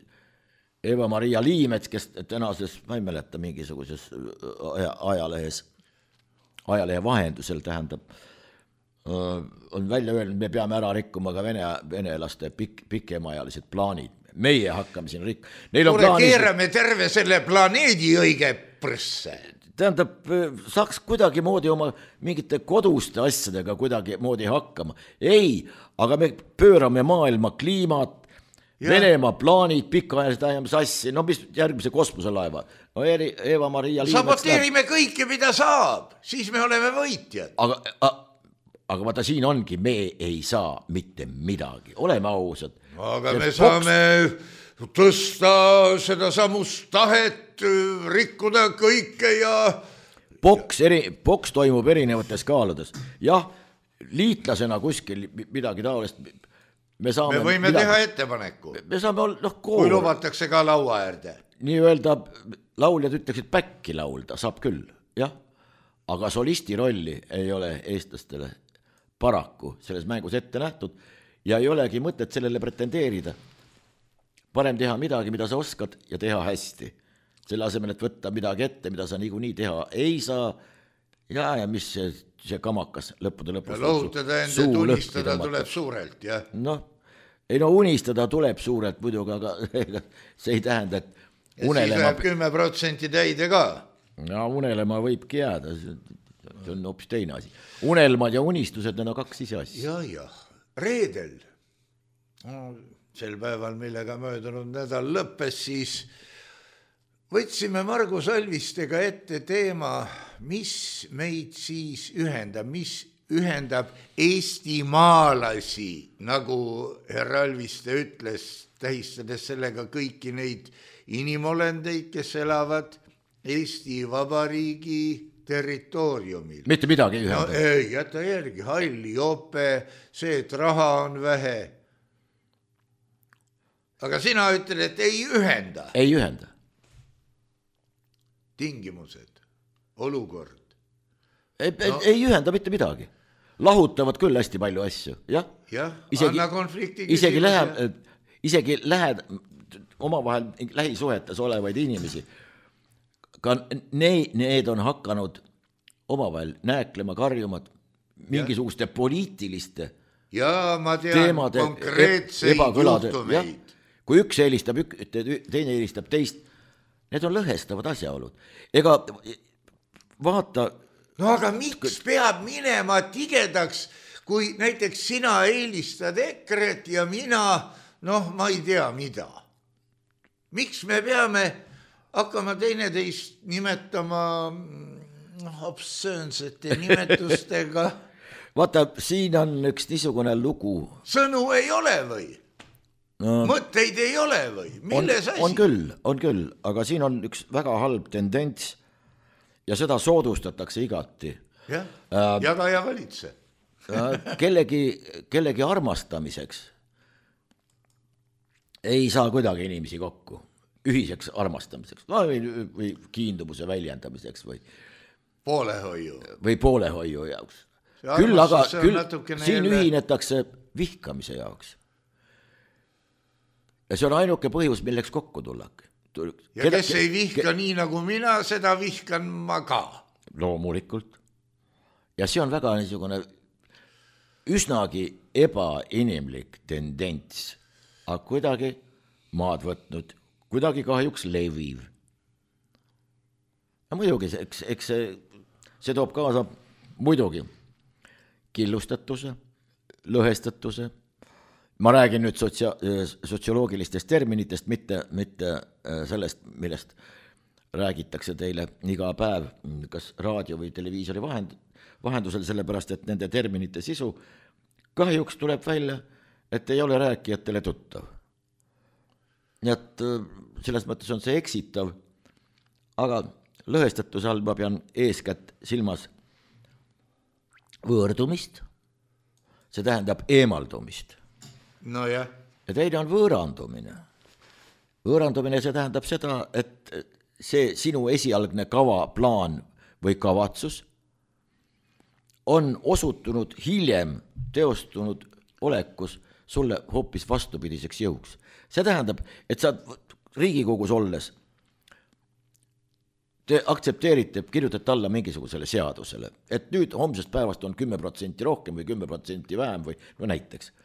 Eva-Maria Liimets, kes tänases, ma ei mäleta, mingisuguses ajalehe vahendusel tähendab, on välja öelnud, me peame ära rikkuma ka venelaste pikemaajalised plaanid, meie hakkame siin rikk-. Neil on kuule, plaanis, keerame terve selle planeedi õige prõsse. tähendab, saaks kuidagimoodi oma mingite koduste asjadega kuidagimoodi hakkama. Ei, aga me pöörame maailma kliimat, Venemaa plaanid, pikaajalised ajame sassi, no mis järgmise kosmoselaeva, no Eva-Maria Liivets saboteerime kõike, mida saab, siis me oleme võitjad. aga vaata, siin ongi, me ei saa mitte midagi, oleme ausad. Aga me saame tõsta seda samust tahet, rikkuda kõike ja... Boks toimub erinevates kaaludes. Jah, liitlasena kuskil midagi taolist... Me võime teha ettepaneku. Me saame olla, kui lubatakse ka laua äärde. Nii-öelda lauljad ütleksid back'i laulda, saab küll, jah. Aga solisti rolli ei ole eestlastele paraku selles mängus ette nähtud ja ei olegi mõtet sellele pretendeerida. Parem teha midagi, mida sa oskad ja teha hästi. Selle asemel, et võtta midagi ette, mida sa niikuinii teha ei saa ja mis see kamakas lõppude lõpus. Lohutada enda unistada tuleb suurelt, jah. Unistada tuleb suurelt muidugi, aga see ei tähenda, et unelema... siis läheb 10% täide ka. Ja unelema võibki jääda, see on hoopis teine asi. Unelmad ja unistused, need on kaks ise asja. Jah, reedel, sel päeval, millega möödunud nädal lõppes, siis võtsime Margus Alvistega ette teema, mis meid siis ühendab, mis ühendab eestimaalasi, nagu härra Alviste ütles, tähistades sellega kõiki neid inimolendeid, kes elavad Eesti Vabariigi territooriumil. Mitte midagi ei ühenda. No, ei, jäta järgi, halli jope, see, et raha on vähe. Aga sina ütled, et ei ühenda. Ei ühenda. Tingimused, olukord. Ei ühenda mitte midagi. Lahutavad küll hästi palju asju, jah. Jah, anna konflikti isegi lähed omavahel lähisuhetes olevaid inimesi. Ka need on hakanud omavahel nääklema, karjumad mingisuguste poliitiliste ma tean teemade konkreetseid juhtumeid. Kui üks eelistab, teine eelistab teist, need on lõhestavad asjaolud. Ega vaata... No aga miks peab minema tigedaks, kui näiteks sina eelistad EKRE-t ja mina, ma ei tea mida. Miks me peame hakkama teineteist nimetama obscöönsete nimetustega? Vaata, siin on üks niisugune lugu. Sõnu ei ole või? Mõtteid ei ole või? Milles asi? On küll, aga siin on üks väga halb tendents ja seda soodustatakse igati. Jah, jaga ja valitse. kellegi armastamiseks ei saa kuidagi inimesi kokku. Ühiseks armastamiseks või kiindumuse väljendamiseks või poolehoiu jaoks. Küll aga siin ühinetakse vihkamise jaoks. Ja see on ainuke põhjus, milleks kokku tullake. Ja kes ei vihka nii nagu mina, seda vihkan ma ka. Loomulikult. Ja see on väga niisugune üsnagi ebainimlik tendents, aga kuidagi maad võtnud, kuidagi kahjuks leviv. Ja muidugi, eks see toob kaasa muidugi killustatuse, lõhestatuse. Ma räägin nüüd sotsioloogilistest terminitest, mitte sellest, millest räägitakse teile iga päev, kas raadio või televiisori vahendusel, sellepärast, et nende terminite sisu kahjuks tuleb välja, et ei ole rääkijatele tuttav. Nii et selles mõttes on see eksitav, aga lõhestatuse all ma pean eeskätt silmas võõrdumist, see tähendab eemaldumist. No jah. Ja teine on võõrandumine. Võõrandumine see tähendab seda, et see sinu esialgne kava, plaan või kavatsus on osutunud hiljem teostunud olekus sulle hoopis vastupidiseks jõuks. See tähendab, et sa Riigikogus olles te aktsepteerite, kirjutate alla mingisugusele seadusele, et nüüd homsest päevast on 10% rohkem või 10% vähem või no näiteks.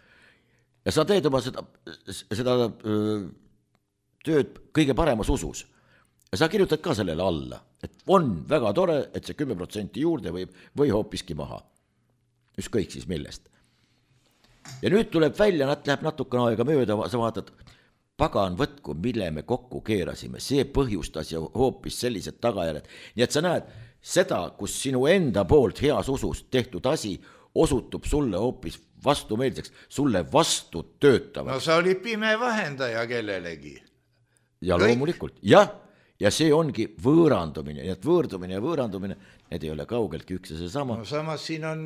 ja sa teed oma seda tööd kõige paremas usus. Ja sa kirjutad ka sellele alla, et on väga tore, et see 10% juurde või hoopiski maha. Ükskõik siis millest. Ja nüüd tuleb välja, läheb natukene aega mööda, sa vaatad, pagan võtku, mille me kokku keerasime, see põhjustas ja hoopis sellised tagajärjed. Nii et sa näed seda, kus sinu enda poolt heas usus tehtud asi osutub sulle hoopis vastumeelseks, sulle vastu töötavad. No sa oli pime vahendaja kellelegi. Ja loomulikult, ja see ongi võõrandumine, nii et võõrdumine ja võõrandumine, need ei ole kaugeltki üks ja see sama. No samas siin on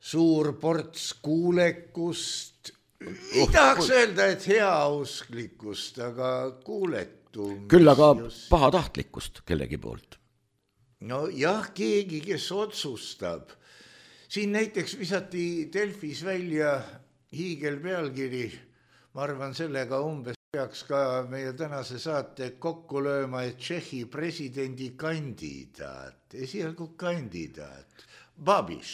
suur ports kuulekust, ei tahaks öelda, et heausklikkust, aga kuuletum. Küll aga pahatahtlikkust kellegi poolt. No jah, keegi, kes otsustab. Siin näiteks visati Delfis välja hiigelpealkiri, ma arvan sellega umbes peaks ka meie tänase saate kokku lööma, et Tšehhi presidendi kandidaat, esialgu kandidaat, Babiš,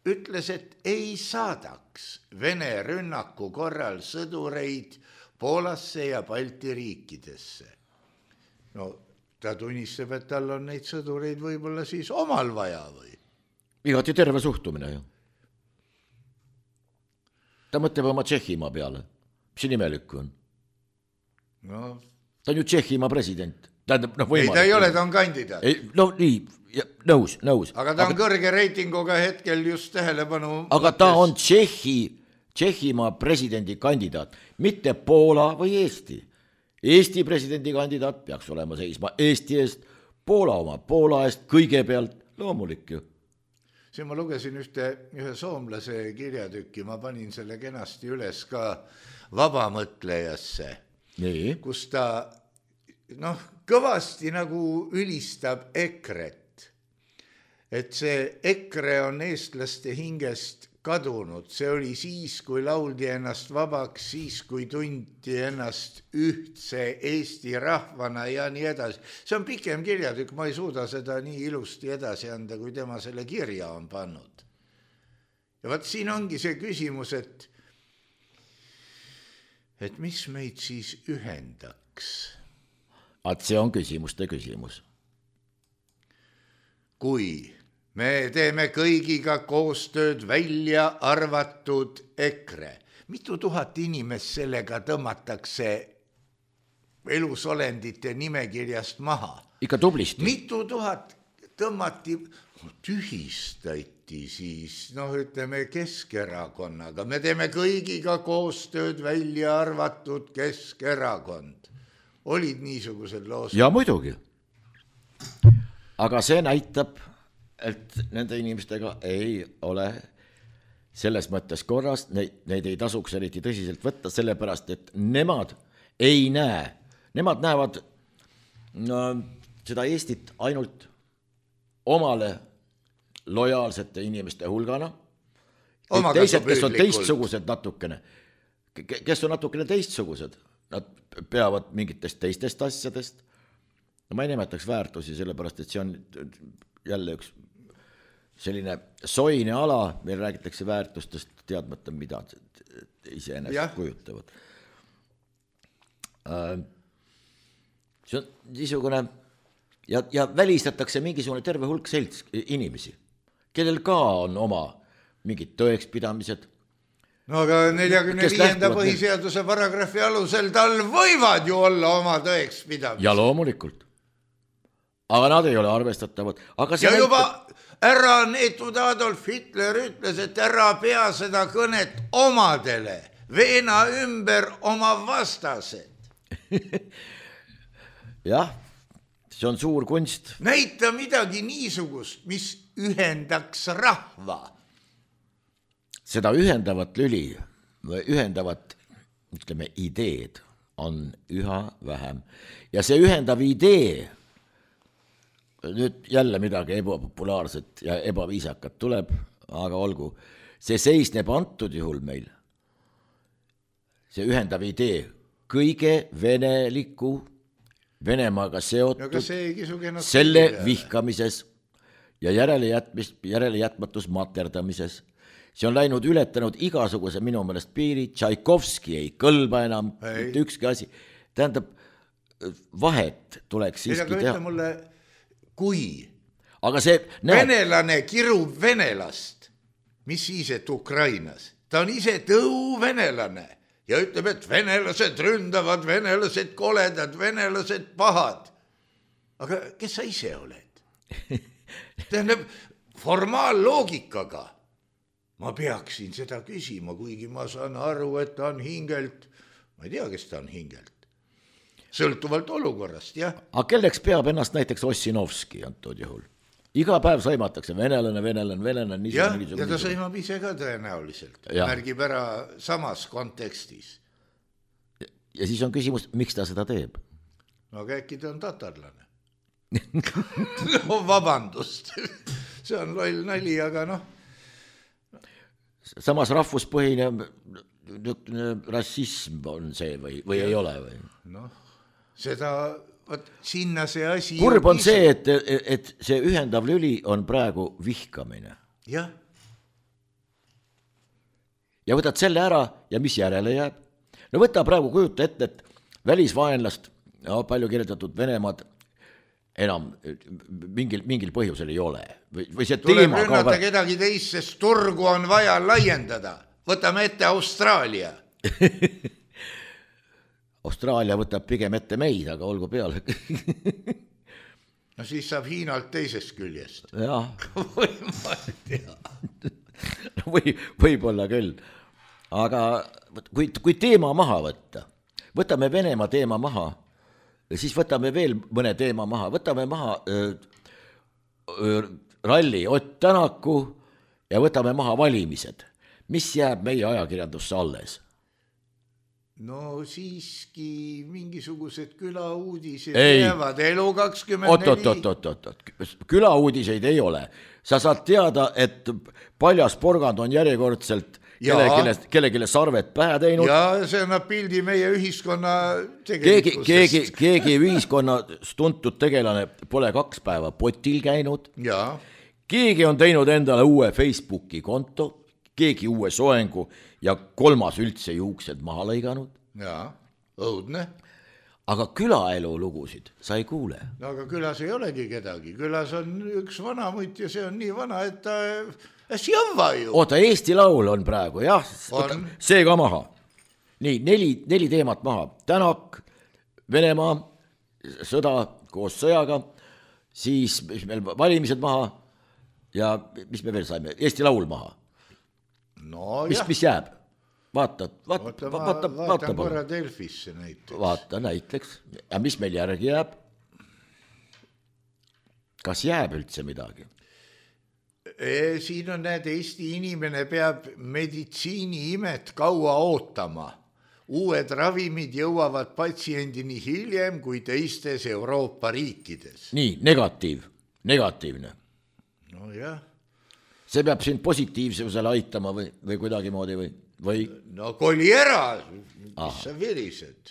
ütles, et ei saadaks Vene rünnaku korral sõdureid Poolasse ja Balti riikidesse. No ta tunnistab, et tal on neid sõdureid võib-olla siis omal vaja või? Igati terve suhtumine ju. Ta mõtleb oma Tšehhimaa peale. Mis see nimelikku on? No. Ta on ju Tšehhimaa president. Ei, ta ei ole, ta on kandidaat. No nii, nõus. Aga ta on kõrge reitinguga hetkel just tähelepanu. Aga ta on Tšehhimaa presidendi kandidaat, mitte Poola või Eesti. Eesti presidendi kandidaat peaks olema seisma Eesti eest, Poola oma Poola eest kõigepealt, loomulik ju. Siin ma lugesin ühe soomlase kirjatükki, ma panin selle kenasti üles ka vabamõtlejasse, kus ta kõvasti nagu ülistab EKRE-t, et see EKRE on eestlaste hingest kadunud, see oli siis, kui lauldi ennast vabaks, siis, kui tunti ennast ühtse Eesti rahvana ja nii edasi. See on pikem kirjatükk, ma ei suuda seda nii ilusti edasi anda, kui tema selle kirja on pannud. Ja vaat siin ongi see küsimus, et mis meid siis ühendaks? See on küsimuste küsimus. Kui me teeme kõigiga koostööd välja arvatud EKRE. Mitu tuhat inimest sellega tõmmatakse elusolendite nimekirjast maha? Ikka tublisti. Mitu tuhat tõmmati, tühistati siis, ütleme Keskerakonnaga. Me teeme kõigiga koostööd välja arvatud Keskerakond. Olid niisugused loosud? Ja muidugi. Aga see näitab, et nende inimestega ei ole selles mõttes korras, neid ei tasuks eriti tõsiselt võtta, sellepärast, et nemad ei näe. Nemad näevad seda Eestit ainult omale lojaalsete inimeste hulgana. Teised, kes on teistsugused natukene, kes on natukene teistsugused, nad peavad mingitest teistest asjadest. Ma ei nimetaks väärtusi, sellepärast, et see on jälle üks selline soine ala, meil räägitakse väärtustest teadmata, mida iseenesest kujutavad. See on niisugune ja välistatakse mingisugune terve hulk selts inimesi, kellel ka on oma mingid tõekspidamised. No aga 45. põhiseaduse paragrahvi alusel tal võivad ju olla oma tõekspidamised. Ja loomulikult. Aga nad ei ole arvestatavad. Ja juba ära neetud Adolf Hitler ütles, et ära pea seda kõnet omadele, veena ümber oma vastased. Jah, see on suur kunst. Näita midagi niisugust, mis ühendaks rahva. Seda ühendavat lüli või ühendavat, ütleme, ideed on üha vähem. Ja see ühendav idee, nüüd jälle midagi ebapopulaarset ja ebaviisakat tuleb, aga olgu, see seisneb antud juhul meil. See ühendav idee kõige veneliku, Venemaaga seotud, selle vihkamises ja järelejätmatus materdamises see on läinud ületanud igasuguse minu meelest piiri, Tšaikovski ei kõlba enam, mitte ükski asi. Tähendab, vahet tuleks siiski teha. Mulle, kui aga see, venelane kirub venelast, mis siis, et Ukrainas, ta on ise tõuvenelane ja ütleb, et venelased ründavad, venelased koledad, venelased pahad. Aga kes sa ise oled? Tähendab, formaalloogikaga ma peaksin seda küsima, kuigi ma saan aru, et ta on hingelt, ma ei tea, kes ta on hingelt, sõltuvalt olukorrast, jah. Aga kelleks peab ennast näiteks Ossinovski antud juhul? Iga päev sõimatakse venelane. Ja ta sõimab ise ka tõenäoliselt, märgib ära samas kontekstis. Ja siis on küsimus, miks ta seda teeb? No aga äkki ta on tatarlane. No vabandust, see on loll nali, aga noh. Samas rahvuspõhine rassism on see või ei ole või? Noh, seda, sinna see asi... Kurb on see, et see ühendav lüli on praegu vihkamine. Jah. Ja võtad selle ära ja mis järele jääb? No võta praegu kujuta ette, et välisvaenlast, palju kirjeldatud Venemaad, enam mingil põhjusel ei ole. Või see tuleb rünnata kedagi teist, sest turgu on vaja laiendada. Võtame ette Austraalia. Austraalia võtab pigem ette meid, aga olgu peale. No siis saab Hiinalt teisest küljest. Jah. Või ma ei tea. Võib-olla küll. Aga kui teema maha võtta, võtame Venemaa teema maha, siis võtame veel mõne teema maha, võtame maha ralli Ott Tänaku ja võtame maha valimised. Mis jääb meie ajakirjandusse alles? No siiski mingisugused külauudised jäävad Elu 24. Oot. Külauudiseid ei ole. Sa saad teada, et paljas porgand on järjekordselt kellelegi sarvet pähe teinud. Ja see annab pildi meie ühiskonna tegelikkusest. Keegi ühiskonnas tuntud tegelane pole 2 päeva potil käinud. Ja. Keegi on teinud endale uue Facebooki konto, keegi uue soengu ja 3. üldse juuksed maha lõiganud. Ja, õudne. Aga külaelu lugusid sa ei kuule. No aga külas ei olegi kedagi. Külas on üks vanamutt ja see on nii vana, et ta sjõva ju. Oota, Eesti Laul on praegu, jah. See ka maha. Nii, 4 teemat maha. Tänak, Venemaa, sõda koos sõjaga, siis meil valimised maha ja mis me veel saime? Eesti Laul maha. No mis jääb? Vaata korra Delfisse näiteks. Vaata näiteks. Ja mis meil järgi jääb? Kas jääb üldse midagi? Siin on näed, Eesti inimene peab meditsiiniimet kaua ootama. Uued ravimid jõuavad patsiendini hiljem kui teistes Euroopa riikides. Nii, negatiivne. No jah. See peab sind positiivsusele aitama või kuidagi moodi või? No koli ära, mis sa virised.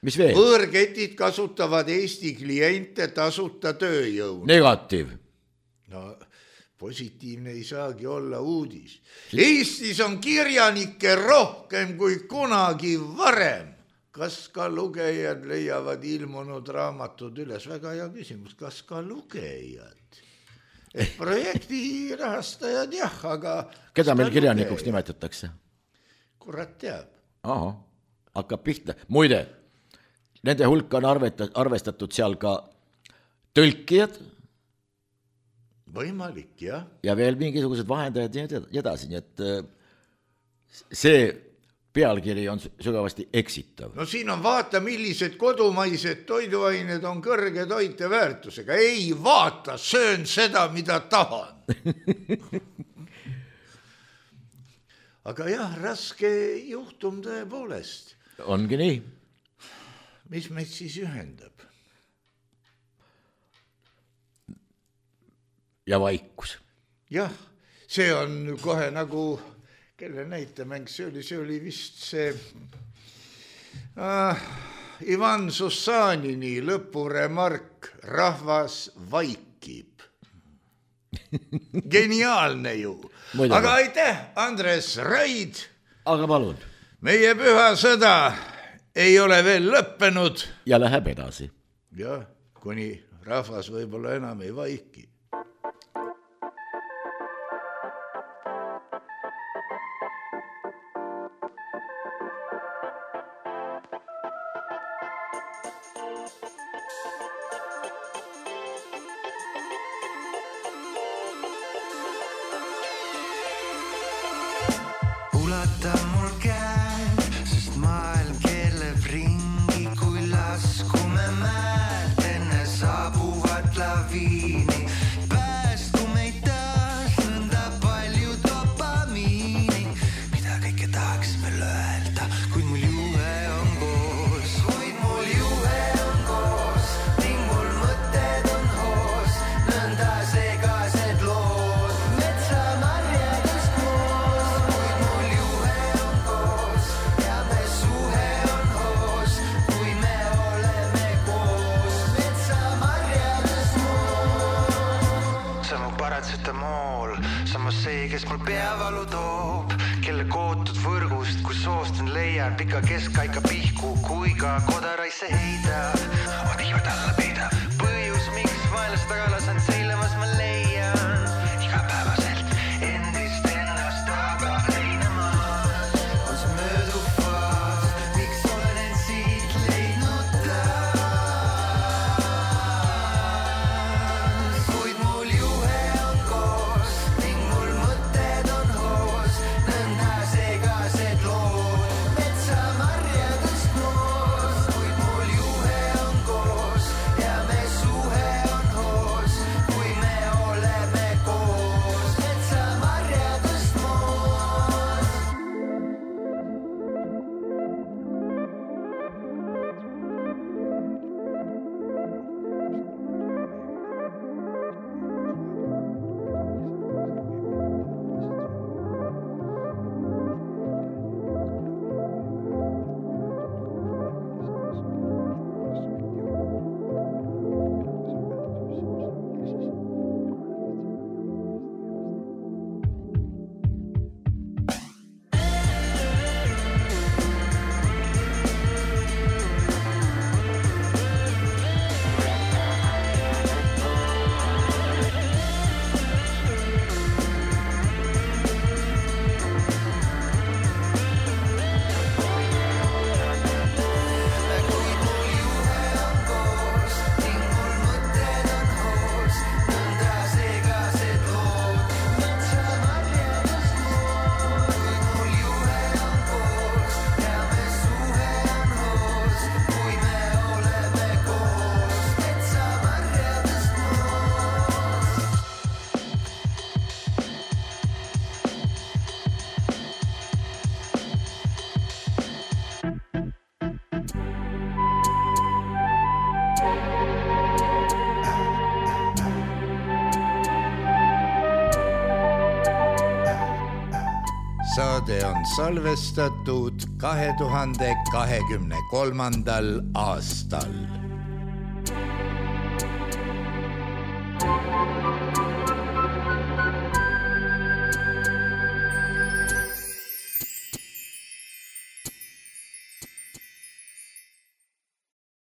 Mis veel? Võõrketid kasutavad Eesti kliente tasuta tööjõu. Negatiiv. No positiivne ei saagi olla uudis. Eestis on kirjanikke rohkem kui kunagi varem. Kas ka lugejad leiavad ilmunud raamatud üles? Väga hea küsimus, kas ka lugejad? Et projekti rahastajad jah, aga... Keda meil kirjanikuks nimetatakse? Kurat teab. Aha, hakkab pihta. Muide, nende hulka on arvestatud seal ka tõlkijad. Võimalik, jah. Ja veel mingisugused vahendajad ja edasi, nii et see pealkiri on sügavasti eksitav. No siin on vaata, millised kodumaised toiduained on kõrge toiteväärtusega. Ei vaata, söön seda, mida tahan. Aga jah, raske juhtum tõepoolest. Ongi nii. Mis meid siis ühendab? Ja vaikus. Jah, see on kohe nagu... Kelle näitemäng see oli vist see Ivan Sussanini lõpuremark, rahvas vaikib. Geniaalne ju. Muidugi. Aga aitäh, Andres Raid. Aga palun. Meie püha sõda ei ole veel lõppenud. Ja läheb edasi. Jah, kuni rahvas võib-olla enam ei vaiki. Ulata mul käed, sest maailm keerleb ringi, kui laskume mäelt enne saabuvat laviini. Päästku meid taas nõnda palju dopamiini, mida kõike tahaks veel öelda, kuid mul juhe on koos. Kuid mul juhe on koos, ning mul mõtted on hoos, nõnda segased lood, metsamarjadest koos. Kuid mul juhe on koos ja me suhe on hoos, kui me oleme koos, metsamarjadest koos. See on mu paratsetamool, samas see, kes mul peavalu toob, kelle kootud võrgust, kus soostan leian pika keskaika pihku, kui ka kodaraisse heida. On ihmed alla peida, põhjus, miks vaenlast taga lasan seilemas ma leian. Igapäevaselt endist ennast taga leinamas. On see mööduv faas, miks olen end siit leidnud taas. Kuid mul juhe on koos, ning mul mõtted on hoos, nõnda segased lood, metsamarjadest noos. Kuid mul juhe on koos ja me suhe on hoos, kui me oleme koos, metsamarjadest noos. Saade on salvestatud 2023. aastal.